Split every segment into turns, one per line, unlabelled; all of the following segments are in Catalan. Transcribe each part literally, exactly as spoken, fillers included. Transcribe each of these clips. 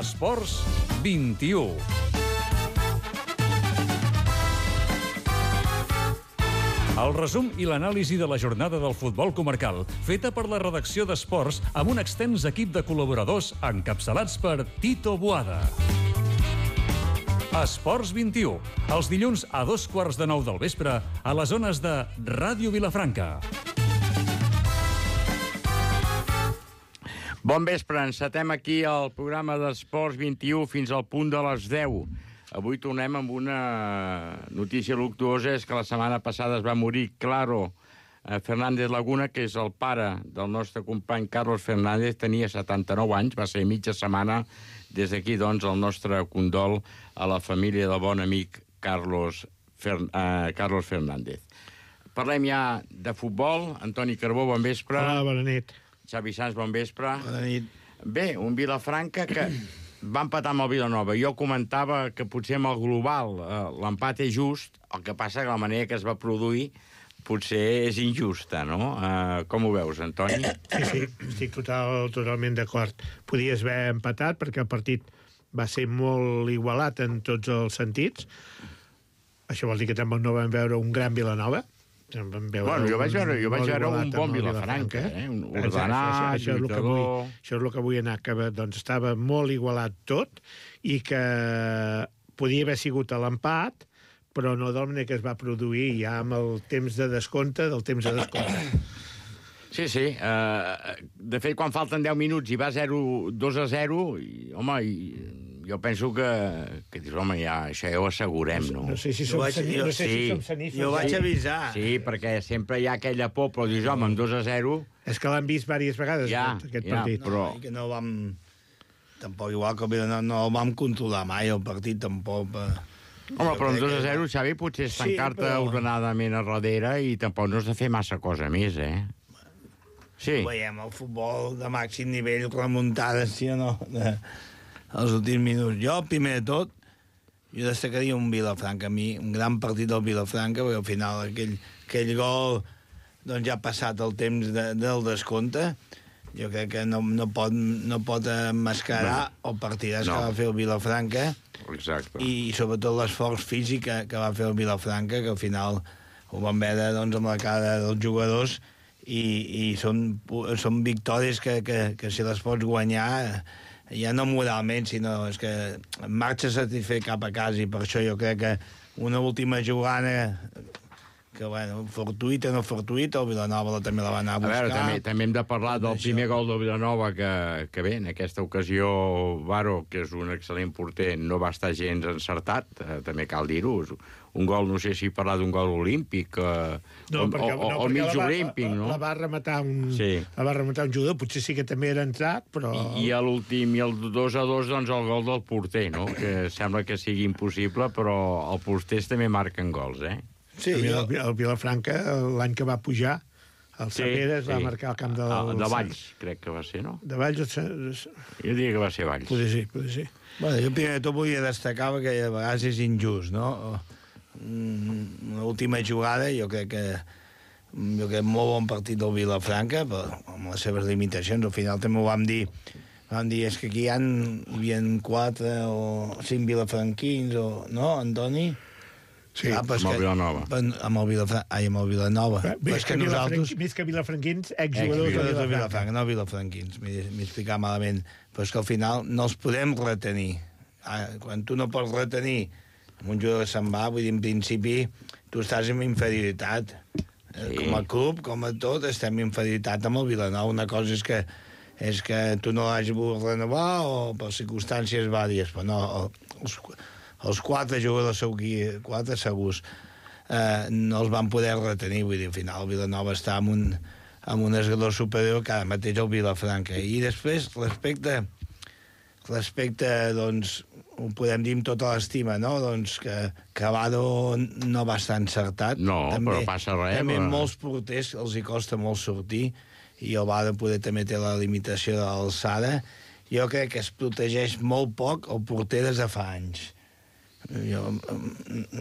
Esports vint-i-u. El resum i l'anàlisi de la jornada del futbol comarcal, feta per la redacció d'Esports amb un extens equip de col·laboradors encapçalats per Tito Boada. Esports vint-i-u, els dilluns a dos quarts de nou del vespre a les zones de Ràdio Vilafranca.
Bon vespre, encetem aquí el programa d'Esports vint-i-u fins al punt de les deu. Avui tornem amb una notícia luctuosa, és que la setmana passada es va morir Claro Fernández Laguna, que és el pare del nostre company Carlos Fernández, tenia setanta-nou anys, va ser mitja setmana. Des d'aquí, doncs, el nostre condol a la família del bon amic Carlos, Fer... eh, Carlos Fernández. Parlem ja de futbol. Antoni Carbó, bon vespre.
Hola, bona nit.
Xavi Sans, bon vespre.
Bona nit.
Bé, un Vilafranca que va empatar amb el Vilanova. Jo comentava que potser amb el global eh, l'empat és just, el que passa que la manera que es va produir potser és injusta, no? Eh, com ho veus, Antoni?
Sí, sí, estic total, totalment d'acord. Podies haver empatat perquè el partit va ser molt igualat en tots els sentits. Això vol dir que també no vam veure un gran Vilanova.
Bueno, jo vaig veure, jo vaig veure un bon Vilafranca, eh? Un ordenat,
això, això,
lluitador...
Això és el que vull anar, que doncs, estava molt igualat tot i que podia haver sigut a l'empat, però no de la manera que es va produir ja amb el temps de descompte del temps de descompte.
Sí, sí. Uh, de fet, quan falten deu minuts i va zero, dos a zero, i, home, i, jo penso que, que dius, home, ja, això ja ho assegurem, no?
No sé si som,
vaig,
jo, no sé
sí,
si som sanífers.
Jo vaig avisar.
Sí, perquè sempre hi ha aquella por, però dius, home, amb dos a zero...
És que l'han vist diverses vegades,
ja,
aquest
ja,
partit.
però...
No, que no vam... Tampoc, igual que no, no el vam controlar mai, el partit, tampoc... Eh...
Home, però amb dos a zero, Xavi, potser és tancar-te
sí, però...
ordenadament a darrere i tampoc no has de fer massa cosa més, eh? Sí.
Veiem el futbol de màxim nivell, remuntades, sí o no, de, els últims minuts. Jo, primer de tot, jo destacaria un Vilafranca, a mi, un gran partit del Vilafranca, perquè al final aquell, aquell gol doncs ja ha passat el temps de, del descompte. Jo crec que no, no, pot, no pot emmascarar no. el partidàs no. que va fer el Vilafranca.
Exacte.
I sobretot l'esforç físic que, que va fer el Vilafranca, que al final ho vam veure doncs, amb la cara dels jugadors, i, i són, són victòries que, que, que si les pots guanyar ja no moralment, sinó és que marxa satisfet cap a casa, i per això jo crec que una última jugada que, bueno, fortuïta o no fortuïta, el Vilanova també la va anar a buscar.
A veure, també, també hem de parlar del això. Primer gol del Vilanova, que, que bé, en aquesta ocasió Varo, que és un excel·lent porter, no va estar gens encertat, eh, també cal dir-ho. Un gol, no sé si parlar d'un gol olímpic, eh,
no,
o,
perquè,
o, o,
no,
o mig
la va,
olímpic,
la,
no?
La va rematar un,
sí.
la va rematar un jugador, potser sí que també era entrat, però...
I, i a l'últim, i el dos a dos, doncs el gol del porter, no? Que sembla que sigui impossible, però els porters també marquen gols, eh?
Sí, jo... el, el Vilafranca, l'any que va pujar, el
sí,
Saperes
sí.
va marcar el camp del...
Ah, de Valls, crec que va ser, no?
De Valls...
Jo diria que va ser Valls.
Poder sí, poder sí.
Bueno, jo primer de tot volia destacar que a vegades és injust, no? Una última jugada, jo crec que jo crec molt bon partit del Vilafranca, però amb les seves limitacions. Al final també ho vam dir, vam dir, és que aquí hi, ha, hi havia quatre o cinc vilafranquins, o, no, Antoni?
Sí,
ah,
amb el Vilanova.
Amb el Vilanova. Ai, amb el Vilanova.
Més que, que nosaltres... Més que vilafranquins, exjugadors de Vilafranca.
Vilafranca. No vilafranquins, m'he explicat malament. Però és que al final no els podem retenir. Ah, quan tu no pots retenir un jugador que se'n va, vull dir, en principi, tu estàs en inferioritat. Sí. Com a club, com a tot, estem en inferioritat amb el Vilanova. Una cosa és que és que tu no l'has volgut renovar o per circumstàncies vàries, però no... Els, els quatre jugadors segurs, quatre segurs, eh, no els van poder retenir, vull dir, al final el Vilanova està amb un, amb un esglador superior que ara mateix el Vilafranca. I després, respecte, respecte, doncs, ho podem dir amb tota l'estima, no?, doncs que Cavado no va estar encertat.
No, també, però passa res.
També
però...
molts porters els hi costa molt sortir, i el Vado poder també té la limitació de l'alçada. Jo crec que es protegeix molt poc el porter des de fa anys. Jo,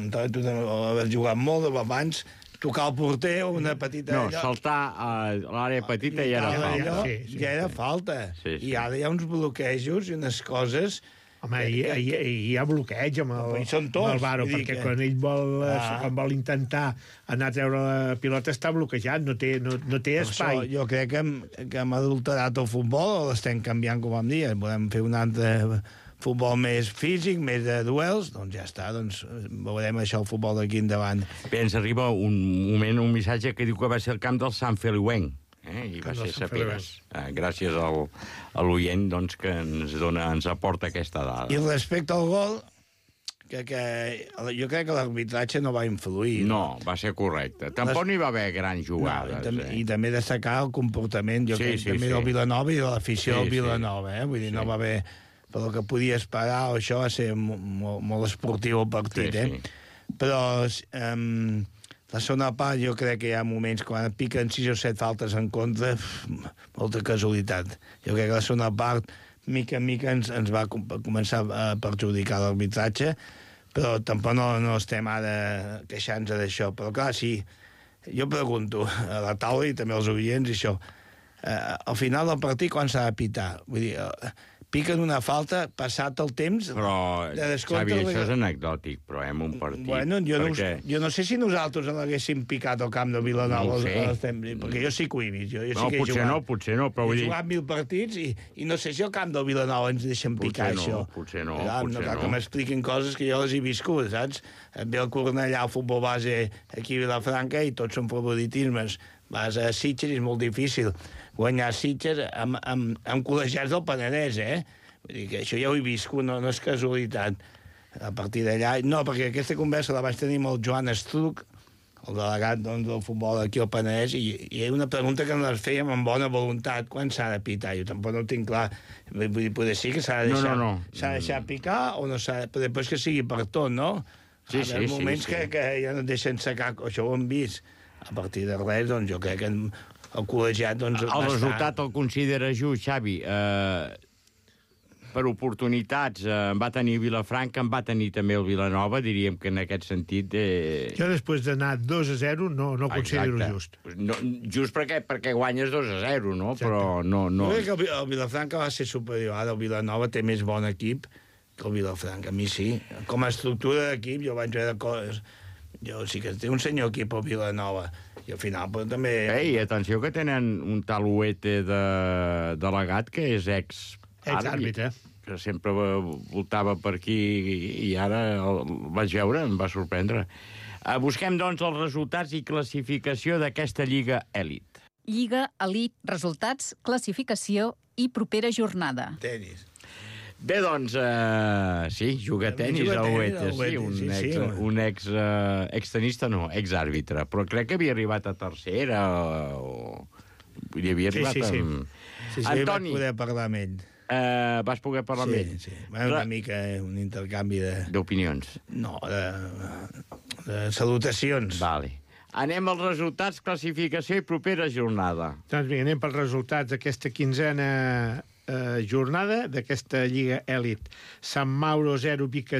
tu has jugat molt abans, tocar el porter o una petita...
No,
allò...
saltar a l'àrea petita ja era
Allò,
falta.
Sí, sí,
ja era
sí.
falta.
Sí, sí.
I ara hi ha uns bloquejos i unes coses...
Home, hi, hi, hi ha bloqueig amb el,
Hi són tots,
amb el Varo,
vull dir
perquè
que-
quan ell vol,
Ah.
quan vol intentar anar a treure la pilota està bloquejat, no té, no, no té
Per això,
espai.
jo crec que hem, que hem adulterat el futbol, o l'estem canviant, com vam dir, volem fer un altre futbol més físic, més de duels, doncs ja està, doncs veurem això, el futbol d'aquí endavant.
Bé, ens arriba un moment, un missatge que diu que va ser el camp del Sant Feliuenc, eh? I va
Camp del
ser
Sant
Saperes. Eh, gràcies al, a l'oient doncs, que ens, dona, ens aporta aquesta dada.
I respecte al gol, que, que jo crec que l'arbitratge no va influir.
No, va ser correcte. Tampoc
Les-
n'hi va haver grans
No,
jugades.
i, també,
eh?
I també destacar el comportament, jo
Sí,
crec,
sí,
també
sí.
del Vilanova i de l'afició
Sí,
del
sí.
Vilanova, eh? Vull dir,
Sí.
no va haver... Per el que podia esperar, això va ser mo- molt, molt esportiu el partit,
Sí,
eh? Però um, la segona part jo crec que hi ha moments quan et piquen sis o set faltes en contra, pf, molta casualitat. Jo crec que la segona part, mica en mica, ens, ens va com- començar a perjudicar l'arbitratge, però tampoc no, no estem ara queixant-nos d'això. Però clar, sí, jo pregunto a la taula i també als oients, això, eh, al final del partit quan s'ha de pitar? Vull dir, eh, piquen una falta passat el temps...
Però,
de descompte,
Xavi,
vull
això
dir-
és anecdòtic, però hem un partit.
Bueno, jo,
perquè...
no, jo no sé si nosaltres l'haguéssim picat al camp de Vilanova,
No ho sé.
als temps, perquè jo sí que ho he vist. Jo, jo
No,
sí que he
potser
jugat.
no, potser no, però vull
He
dir...
jugat mil partits i, i no sé si al camp del Vilanova ens deixen
Potser
picar
no,
això.
potser no,
Clar,
potser
cal
no.
que m'expliquin coses que jo les he viscut, saps? Em ve el Cornellà al futbol base aquí a Vilafranca i tots són favoritismes. Vas a Sitges i és molt difícil guanyar Sitges amb, amb, amb col·legiats del Penedès, eh? Vull dir que això ja ho he viscut, no, no és casualitat. A partir d'allà... No, perquè aquesta conversa la vaig tenir amb el Joan Estruc, el delegat doncs, del futbol aquí al Penedès, i, i hi ha una pregunta que ens fèiem amb bona voluntat, quan s'ha de pitar? Jo tampoc no ho tinc clar. Vull dir, poder sí que s'ha de
No,
deixar,
no, no.
s'ha de deixar picar o no s'ha de... Però després que sigui per tot, no?
Sí,
Hi
sí,
ha
sí,
moments
sí.
Que, que ja no et deixen secar, això ho hem vist. A partir de res, doncs jo crec que el col·legiat... Doncs, va
El
estar-
resultat el considera just, Xavi. Eh, per oportunitats eh, en va tenir Vilafranca, en va tenir també el Vilanova, diríem que en aquest sentit... Eh...
Jo després d'anar dos a zero no, no considero
Exacte.
just.
No, just perquè, perquè guanyes dos a zero, no? Però no... no...
Jo crec que el, Vi- el Vilafranca va ser superior. Ara el Vilanova té més bon equip que el Vilafranca. A mi sí. Com a estructura d'equip jo vaig veure coses... Jo sí que té un senyor equip al Vilanova. I al final però, també...
Ei, atenció que tenen un tal Uete de delegat que és ex...
Ex-àrbitre.
Que sempre va- voltava per aquí i, i ara el vaig veure, em va sorprendre. Uh, busquem, doncs, els resultats i classificació d'aquesta Lliga Elit.
Lliga, Elit, resultats, classificació i propera jornada.
Tenis.
Bé, doncs, uh, sí, juga a tenis
juga a
el
tenis,
Uete,
el
sí,
Uete,
un
sí,
ex,
sí, home.
un ex, uh, extenista, no, exàrbitre, però crec que havia arribat a tercera o... Vull dir, havia
Sí,
arribat
sí, sí.
amb...
Sí, sí,
Antoni,
vaig poder parlar amb ell.
uh, vas poder parlar amb
Sí,
ell?
sí. Va, una mica eh, un intercanvi de...
D'opinions.
No, de, de salutacions.
Vale. Anem als resultats, classificació i propera jornada.
Doncs vinga, anem pels resultats d'aquesta quinzena eh, jornada d'aquesta Lliga Elit. Sant Mauro zero, Vic,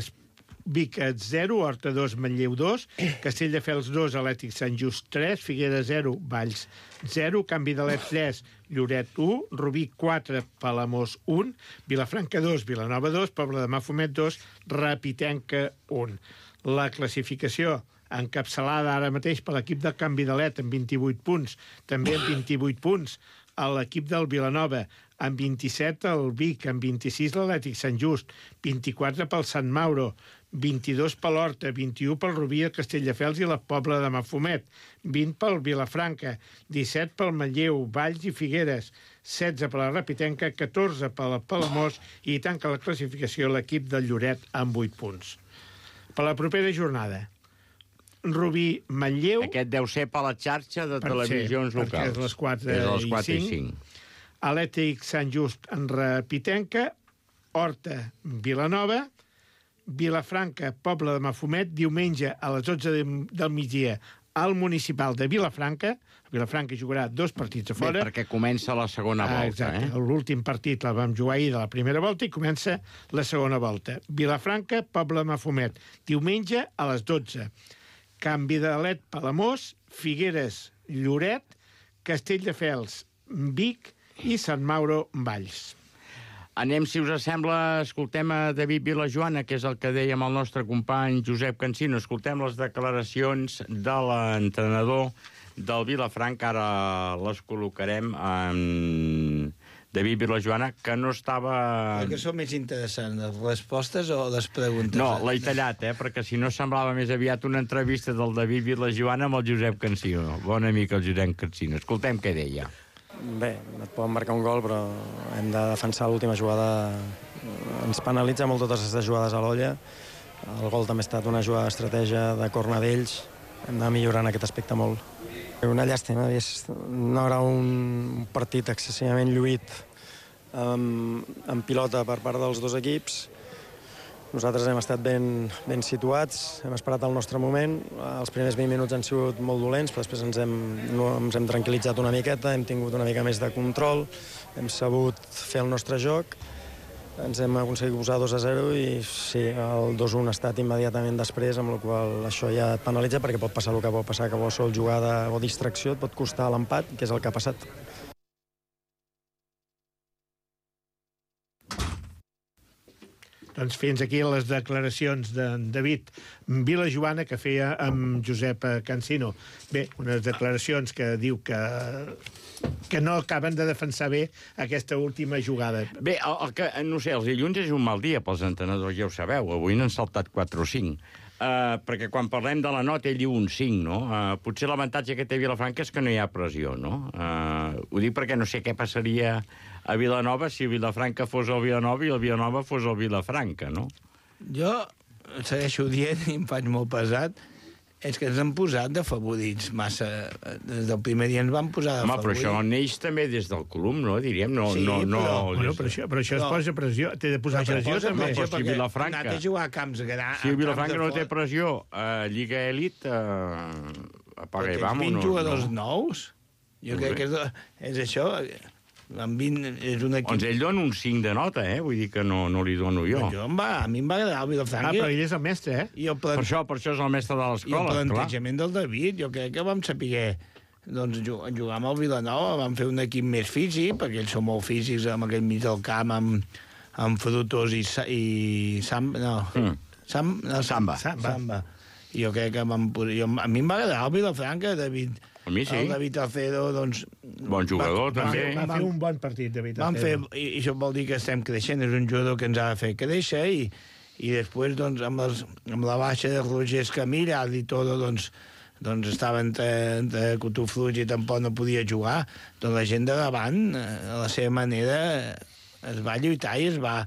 Vic zero, Horta dos, Manlleu dos, Castelldefels dos, Atlètic Sant Just tres, Figueres zero, Valls zero, Canvi de Let tres, Lloret u, Rubí quatre, Palamós un, Vilafranca dos, Vilanova dos, Pobla de Mafumet dos, Rapitenca un. La classificació encapçalada ara mateix per l'equip del Canvi de Let amb vint-i-vuit punts, també amb vint-i-vuit punts a l'equip del Vilanova, amb vint-i-set el Vic, amb vint-i-sis l'Atlètic Sant Just, vint-i-quatre pel Sant Mauro, vint-i-dos per l'Horta, vint-i-u pel Rubí, el Castelldefels i la Pobla de Mafumet, vint pel Vilafranca, disset pel Manlleu, Valls i Figueres, setze per la Rapitenca, catorze per la Palamós i tanca la classificació l'equip del Lloret amb vuit punts. Per la propera jornada, Rubí, Manlleu...
Aquest deu ser per la xarxa de
Per
televisions
ser, perquè
locals.
és les quatre
és les
i
quatre i
cinc.
cinc.
Atlètic Sant Just en Rapitenca, Horta, Vilanova, Vilafranca, Pobla de Mafumet, diumenge a les dotze de, del migdia al municipal de Vilafranca. Vilafranca jugarà dos partits a
Bé,
fora.
perquè comença la segona
Ah,
volta,
exacte.
eh?
L'últim partit la vam jugar ahir de la primera volta i comença la segona volta. Vilafranca, Pobla de Mafumet, diumenge a les dotze. Can Vidalet, Palamós, Figueres, Lloret, Castelldefels, Vic i Sant Mauro, Valls.
Anem, si us sembla, escoltem a David Vilajoana, que és el que dèiem el nostre company Josep Cansino. Escoltem les declaracions de l'entrenador del Vilafranca. Ara les col·locarem en David Vilajoana, que no estava...
Que són més interessants, les respostes o les preguntes?
No, l'he tallat, eh, perquè si no semblava més aviat una entrevista del David Vilajoana amb el Josep Cansino. Bon amic, el Josep Cansino. Escoltem què deia.
Bé, et poden marcar un gol, però hem de defensar l'última jugada. Ens penalitza molt totes aquestes jugades a l'olla. El gol també ha estat una jugada d'estratègia de corna d'ells. Hem de millorar en aquest aspecte molt. Una llàstima, no era un partit excessivament lluït amb, amb pilota per part dels dos equips. Nosaltres hem estat ben, ben situats, hem esperat el nostre moment. Els primers vint minuts han sigut molt dolents, però després ens hem, no, ens hem tranquil·litzat una miqueta, hem tingut una mica més de control, hem sabut fer el nostre joc, ens hem aconseguit posar dos a zero i sí, el dos un ha estat immediatament després, amb la qual això ja et penalitza perquè pot passar el que pot passar, que qualsevol jugada o distracció et pot costar l'empat, que és el que ha passat.
Doncs fins aquí les declaracions de David Vilajoana que feia amb Josep Cansino. Bé, unes declaracions que diu que, que no acaben de defensar bé aquesta última jugada.
Bé, el, el que, no sé, els dilluns és un mal dia pels entrenadors, ja ho sabeu. Avui n'han saltat quatre o cinc. Uh, perquè quan parlem de la nota ell diu un cinc, no? Uh, potser l'avantatge que té Vilafranca és que no hi ha pressió, no? Uh, ho dic perquè no sé què passaria a Vilanova si Vilafranca fos el Vilanova i el Vilanova fos el Vilafranca, no?
Jo segueixo dient, i em faig molt pesat, és que ens han posat de favorits massa. Des del primer dia ens van posar de
Home,
favorits.
però això neix també des del club, no? Diríem, no...
Sí,
no, no
però-
Bueno, però això, però això es
No.
posa pressió. Té de posar
Però
pressió,
posa
també.
pressió.
pressió
si
perquè
Vilafranca-
han anat a jugar a camps grans.
Si el Vilafranca no té pressió a Lliga Elit, eh, apaga i vamos.
vint
No,
jugadors
no.
nous? Jo
No
crec
sé.
que és, és això. Amb vint és un equip...
Doncs ell dona un cinc de nota, eh? Vull dir que no, no li dono jo.
jo em va, a mi em va agradar el
Ah,
Vilafranca.
però ell és el mestre, eh?
I el,
Per
plan...
això, per això és el mestre de
I el
l'escola, clar.
plantejament del David, jo crec que vam saber doncs, jugar, jugar amb el Vilanova, vam fer un equip més físic, perquè ells són molt físics amb aquell mig del camp, amb, amb Frutos i, Sa- i Sam... No,
Mm.
Sam, no,
Samba.
Samba.
Samba. I jo crec que vam, jo, a mi em va agradar el Vilafranca, David.
A mi sí.
El David Alcedo, doncs...
Bon jugador,
va,
també.
Va fer un bon partit, David.
Vam fer,
Alcedo.
i, i això vol dir que estem creixent, és un jugador que ens ha de fer créixer, i, i després, doncs, amb, els, amb la baixa de Roger Escamilla i tot, doncs, doncs estava entre, entre Cotofluig i tampoc no podia jugar, doncs la gent de davant, eh, a la seva manera, es va lluitar i es va...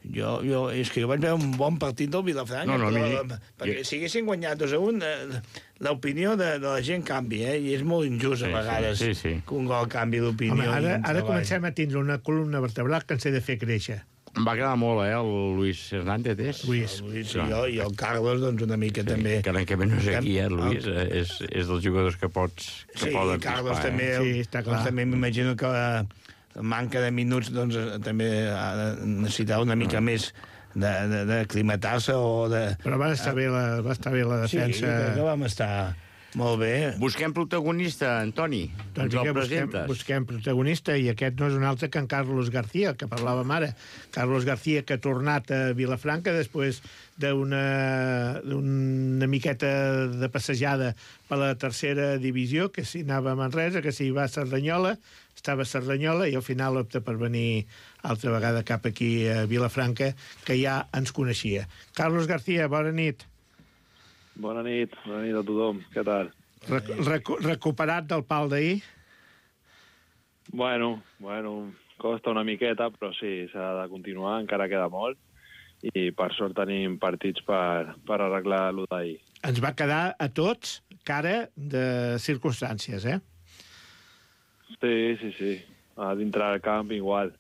Jo, jo, és que jo vaig veure un bon partit del Vilafranca,
No, no,
però,
mi-
perquè
jo-
si haguessin guanyat dos a un, eh, l'opinió de, de la gent canvia, eh? I és molt injust
Sí,
a vegades
sí, sí, sí.
que un gol canvi d'opinió.
Home, ara,
i
ara
treball.
comencem a tindre una columna vertebral que ens he de fer créixer.
Em va agradar molt, eh, el Luis Hernández, és?
Luis.
El Luis i,
Clar.
jo, i el Carlos, doncs, una mica
Sí,
també...
que l'any que ve no és aquí, eh,
El-
Luis? Eh, És, és dels jugadors que pots... Que
Sí,
poden
Carlos
pispar,
també...
Eh?
Sí, està clar.
Doncs, també m'imagino que la manca de minuts doncs, eh, també ha de necessitar una mica més d'aclimatar-se o de...
Però va estar bé la, va estar bé la
Sí,
defensa.
crec que vam estar molt bé.
Busquem protagonista, Antoni.
Doncs
Ens el
vinga, busquem,
presentes.
busquem protagonista, i aquest no és un altre que en Carlos García, el que parlàvem ara. Carlos García, que ha tornat a Vilafranca després d'una una miqueta de passejada per la tercera divisió, que si anava a Manresa, que si va a Cerdanyola, estava a Cerdanyola, i al final opta per venir altra vegada cap aquí a Vilafranca, que ja ens coneixia. Carlos García, bona nit.
Bona nit, bona nit a tothom. Què tal?
Rec recu recuperat del pal d'ahir?
Bueno, bueno, costa una miqueta, però sí, s'ha de continuar, encara queda molt, i per sort tenim partits per, per arreglar l'u d'ahir.
Ens va quedar a tots cara de circumstàncies, eh?
Sí, sí, sí. A dintre del camp igual.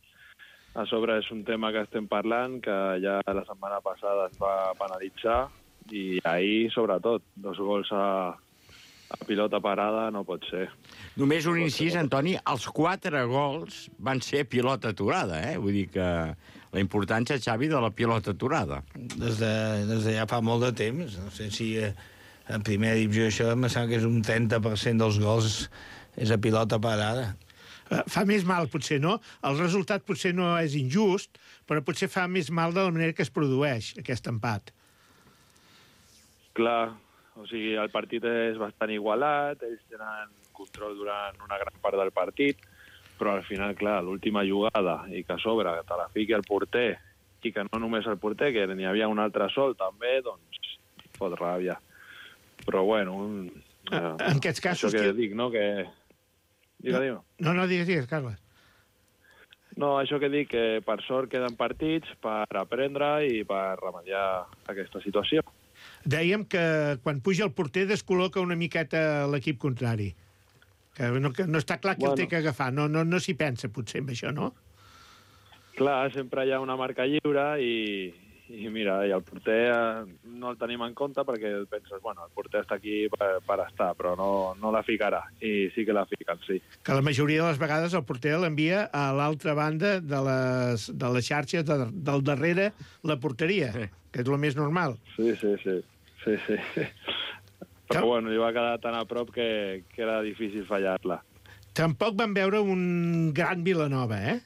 A sobre és un tema que estem parlant, que ja la setmana passada es va penalitzar, i ahir, sobretot, dos gols a, a pilota parada no pot ser.
Només un incís, Antoni, els quatre gols van ser pilota aturada, eh? Vull dir que la importància, Xavi, de la pilota aturada.
Des de, des de ja fa molt de temps. No sé si eh, En primera divisió això em sembla que és un trenta per cent dels gols és a pilota parada.
Fa més mal, potser, no? El resultat potser no és injust, però potser fa més mal de la manera que es produeix aquest empat.
Clar, o sigui, el partit és bastant igualat, ells tenen control durant una gran part del partit, però al final, clar, l'última jugada i que a sobre que te la fiqui el porter i que no només el porter, que n'hi havia un altre sol també, doncs fot ràbia. Però bueno, un,
eh, en aquests casos...
Això que,
que...
dic, no?, que... Digue, digue.
No, no, digues, digues, Carles.
No, això que dic, que per sort queden partits per aprendre i per remediar aquesta situació.
Dèiem que quan puja el porter descol·loca una miqueta l'equip contrari. Que no, que no està clar qui bueno. el té que agafar. No, no, no s'hi pensa, potser, amb això, no?
Clar, sempre hi ha una marca lliure i, i mira, i el porter no el tenim en compte perquè penses, bueno, el porter està aquí per, per estar, però no, no la ficarà. I sí que la fiquen, sí.
Que la majoria de les vegades el porter l'envia a l'altra banda de les, de les xarxes de, del darrere la porteria, sí. Que és el més normal.
Sí, sí, sí. sí, sí. Però que... bueno, li va quedar tan a prop que, que era difícil fallar-la.
Tampoc van veure un gran Vilanova, eh?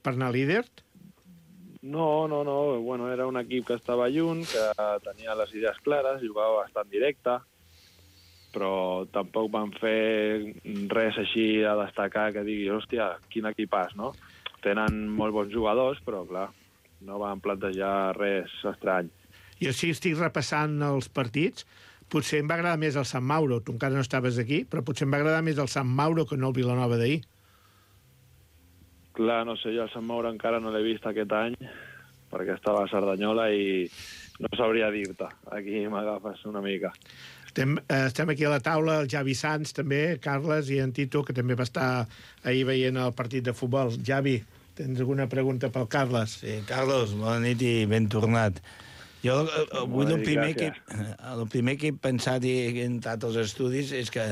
Per anar líder.
No, no, no. Bueno, era un equip que estava lluny, que tenia les idees clares, jugava bastant directe, però tampoc van fer res així a destacar que digui, hòstia, quin equipàs, no? Tenen molt bons jugadors, però, clar, no van plantejar res estrany.
Jo sí estic repassant els partits. Potser em va agradar més el Sant Mauro. Tu encara no estaves aquí, però potser em va agradar més el Sant Mauro que no el Vilanova d'ahir.
Clar, no sé, jo el Sant Mauro encara no l'he vist aquest any, perquè estava a Cerdanyola i no sabria dir-te. Aquí m'agafes una mica.
Estem, eh, estem aquí a la taula, el Javi Sanz també, Carles i en Tito, que també va estar ahir veient el partit de futbol. Javi, tens alguna pregunta pel Carles?
Sí, Carlos, bona nit i ben tornat. Jo avui el primer, que, el primer que he pensat i he entrat als estudis és que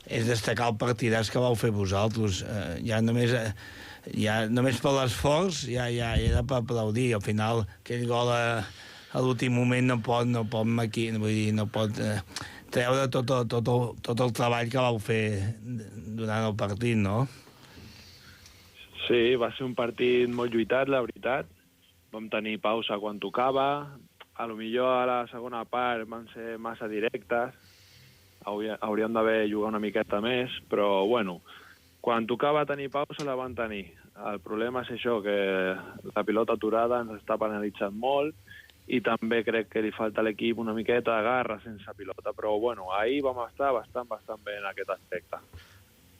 és destacar el partidàs que vau fer vosaltres. Eh, ja només... Eh, ja només per l'esforç ja, ja era per aplaudir. Al final aquell gol a, a l'últim moment no pot, no pot maqui, vull dir, no pot eh, treure tot, el, tot, el, tot el treball que vau fer durant el partit, no?
Sí, va ser un partit molt lluitat, la veritat. Vam tenir pausa quan tocava. A lo millor a la segona part van ser massa directes. Hauríem d'haver jugat una miqueta més, però bueno, quan tocava tenir pausa la van tenir. El problema és això, que la pilota aturada ens està penalitzant molt i també crec que li falta a l'equip una miqueta de garra sense pilota, però bueno, ahir vam estar bastant, bastant bé en aquest aspecte.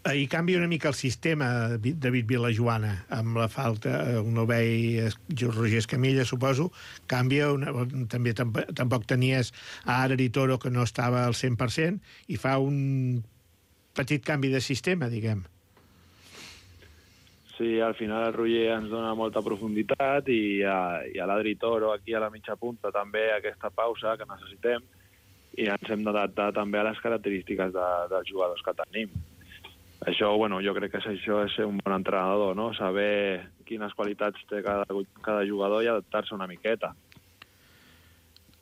Ahir canvia una mica el sistema, David Vilajoana, amb la falta, el novell Roger Escamilla, suposo, canvia, una, també tampoc, tampoc tenies a Ara i Toro, que no estava al cent per cent, i fa un petit canvi de sistema, diguem.
Sí, al final el Roger ens dona molta profunditat i a, i a l'Adri Toro aquí a la mitja punta també aquesta pausa que necessitem i ens hem d'adaptar també a les característiques de, dels jugadors que tenim. Això, bueno, jo crec que això és ser un bon entrenador, no? Saber quines qualitats té cada, cada jugador i adaptar-se una miqueta.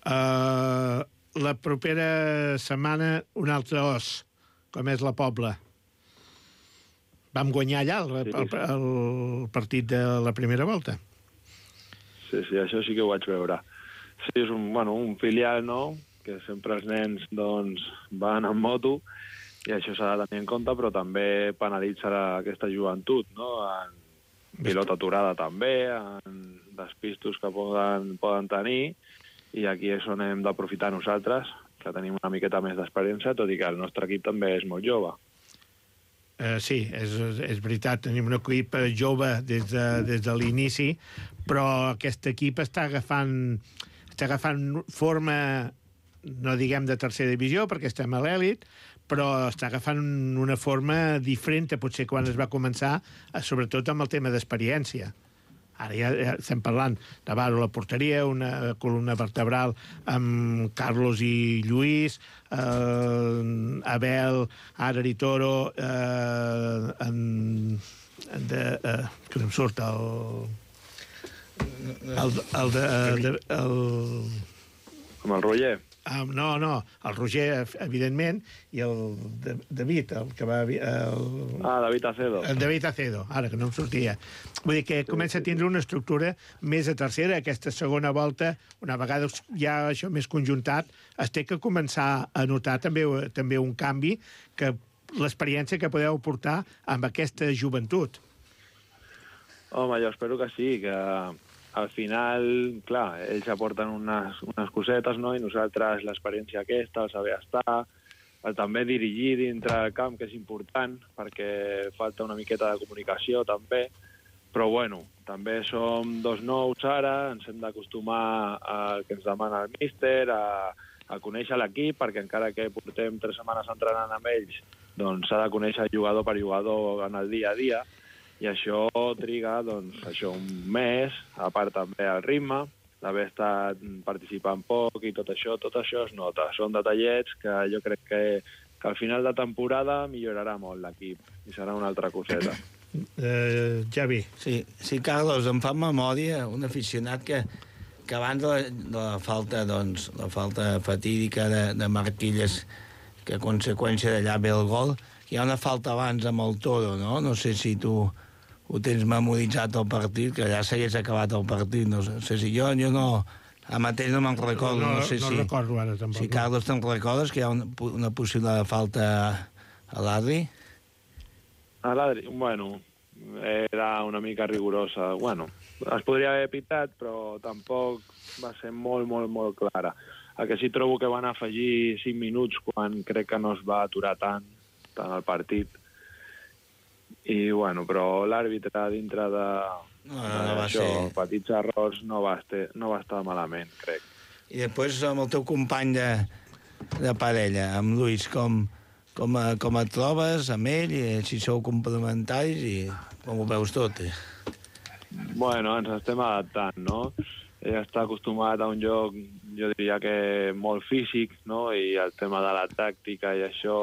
Uh, la propera setmana un altre os, com és la Pobla. Vam guanyar allà el, el, el partit de la primera volta.
Sí, sí, això sí que ho vaig veure. Sí, és un, bueno, un filial, no?, que sempre els nens doncs, van en moto i això s'ha de tenir en compte, però també penalitza aquesta joventut, no?, en pilota aturada també, en despistos que poden, poden tenir, i aquí és on hem d'aprofitar nosaltres, que tenim una miqueta més d'experiència, tot i que el nostre equip també és molt jove.
Uh, sí, és, és veritat, tenim un equip jove des de, des de l'inici, però aquest equip està agafant, està agafant forma, no diguem de tercera divisió, perquè estem a l'èlit, però està agafant una forma diferent a potser quan es va començar, sobretot amb el tema d'experiència. Ara ja, ja estem parlant de Varo a la porteria, una columna vertebral amb Carlos i Lluís, eh, Abel, Ara i Toro, eh, en, en de, eh, que em surt el... el, el, de, el,
Amb el Roger?
Uh, no, no, el Roger, evidentment, i el de, David, el que va... El,
ah, David Acedo.
El David Acedo, ara, que no em sortia. Vull dir que comença a tindre una estructura més a tercera. Aquesta segona volta, una vegada ja això més conjuntat, es té que començar a notar també, també un canvi, que l'experiència que podeu portar amb aquesta joventut.
Home, jo espero que sí, que al final, clar, ells aporten unes, unes cosetes, no?, i nosaltres l'experiència aquesta, el saber estar, el també dirigir dintre del camp, que és important, perquè falta una miqueta de comunicació, també, però, bueno, també som dos nous ara, ens hem d'acostumar al que ens demana el míster, a, a conèixer l'equip, perquè encara que portem tres setmanes entrenant amb ells, doncs s'ha de conèixer jugador per jugador en el dia a dia, i això triga, doncs, això, un mes, a part també el ritme, d'haver estat participant poc i tot això, tot això es nota. Són detallets que jo crec que, que al final de temporada millorarà molt l'equip i serà una altra coseta.
Uh, Javi.
Sí, sí, Carlos, em fa memòria un aficionat que, que abans de la, de la falta, doncs, la falta fatídica de, de Marquilles, que a conseqüència d'allà ve el gol, hi ha una falta abans amb el Toro, no? No sé si tu ho tens memoritzat el partit, que ja s'hagués acabat el partit, no sé si jo, jo no, a mateix no me'n recordo, no,
no,
no sé
no
si...
No recordo ara, tampoc.
Si, Carlos, te'n recordes que hi ha una, una possible falta a l'Adri?
A l'Adri, bueno, era una mica rigorosa. Bueno, es podria haver pitat, però tampoc va ser molt, molt, molt clara. El que sí trobo que van afegir cinc minuts quan crec que no es va aturar tant, tant el partit. I, bueno, però l'àrbitre dintre de,
no, no, no va
això,
ser...
petits errors, no va, estar, no va estar malament, crec.
I després amb el teu company de, de parella, amb Lluís, com, com, a, com et trobes amb ell, i si sou complementaris i com ho veus tot? Eh?
Bueno, ens estem adaptant, no? Ell està acostumat a un joc, jo diria que molt físic, no? I el tema de la tàctica i això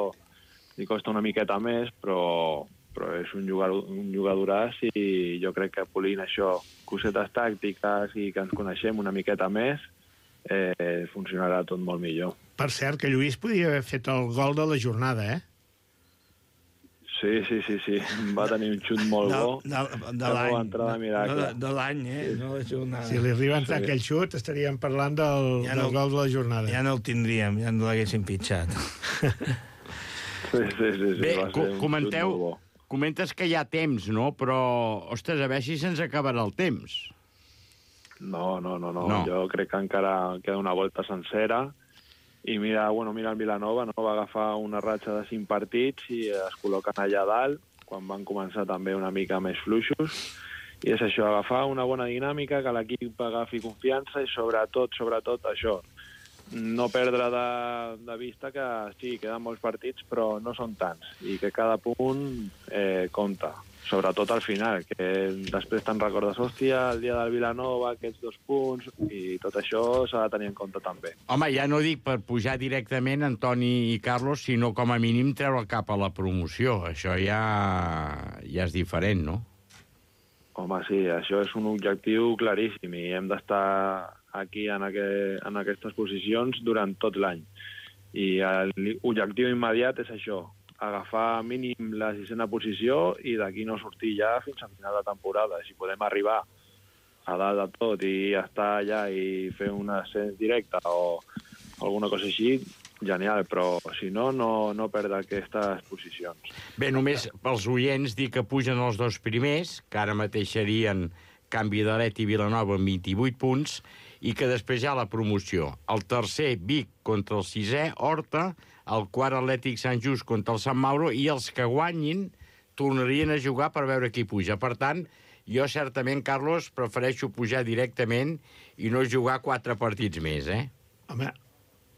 li costa una miqueta més, però... però és un jugador, un jugadoràs i jo crec que polint això, cosetes tàctiques i que ens coneixem una miqueta més, eh, funcionarà tot molt millor.
Per cert, que Lluís podia haver fet el gol de la jornada, eh?
Sí, sí, sí, sí. Va tenir un xut molt
de,
bo.
De, de l'any.
De,
de, de l'any, eh? No la jornada.
Si li arriba a entrar
sí.
aquell xut, estaríem parlant del, ja no, del gol de la jornada.
Ja no el tindríem, ja no l'haguéssim pitjat.
Sí, sí, sí. sí.
Bé,
va
co
ser un
comenteu...
xut molt bo.
Comentes que hi ha temps, no? Però, ostres, a veure si se'ns acabarà el temps.
No, no, no, no,
no.
Jo crec que encara queda una volta sencera. I mira, bueno, mira el Vilanova, no? Va agafar una ratxa de cinc partits i es col·loquen allà dalt, quan van començar també una mica més fluixos. I és això, agafar una bona dinàmica, que l'equip agafi confiança i sobretot, sobretot això, no perdre de, de vista que sí, queden molts partits, però no són tants, i que cada punt eh, compta, sobretot al final, que després te'n recordes, hòstia, el dia del Vilanova, aquests dos punts, i tot això s'ha de tenir en compte també.
Home, ja no dic per pujar directament Antoni i Carlos, sinó com a mínim treure el cap a la promoció. Això ja, ja és diferent, no?
Home, sí, això és un objectiu claríssim, i hem d'estar aquí en, aqu en aquestes posicions durant tot l'any. I l'objectiu immediat és això, agafar mínim la sisena posició i d'aquí no sortir ja fins a final de temporada. Si podem arribar a dalt de tot i estar allà i fer un ascens directe o alguna cosa així, genial, però si no, no, no perdre aquestes posicions.
Bé, només pels oients dir que pugen els dos primers, que ara mateix serien Canvi d'Alet i Vilanova amb vint-i-vuit punts, i que després hi ha la promoció. El tercer, Vic, contra el sisè, Horta, el quart, Atlètic Sant Just contra el Sant Mauro, i els que guanyin tornarien a jugar per veure qui puja. Per tant, jo certament, Carlos, prefereixo pujar directament i no jugar quatre partits més, eh?
Home,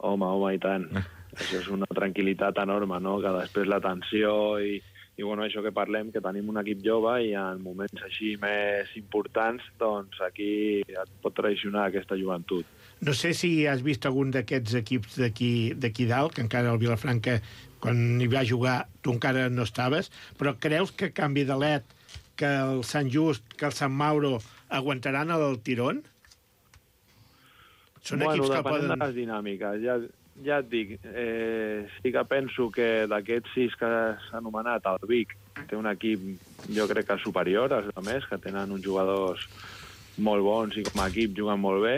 Home, home, i tant. Això és una tranquil·litat enorme, no? Que després la tensió i, i bueno, això que parlem, que tenim un equip jove i en moments així més importants, doncs aquí et pot traicionar aquesta joventut.
no sé si has vist algun d'aquests equips d'aquí dalt, que encara el Vilafranca, quan hi va jugar, tu encara no estaves, però creus que Canvi d'Alet, que el Sant Just, que el Sant Mauro aguantaran el tirón? Són
bueno,
equips que
depenent
poden...
de les dinàmiques. Ja, ja et dic, eh, sí que penso que d'aquests sis que s'ha anomenat, el Vic té un equip, jo crec que superior als altres, que tenen uns jugadors molt bons i com a equip juguen molt bé,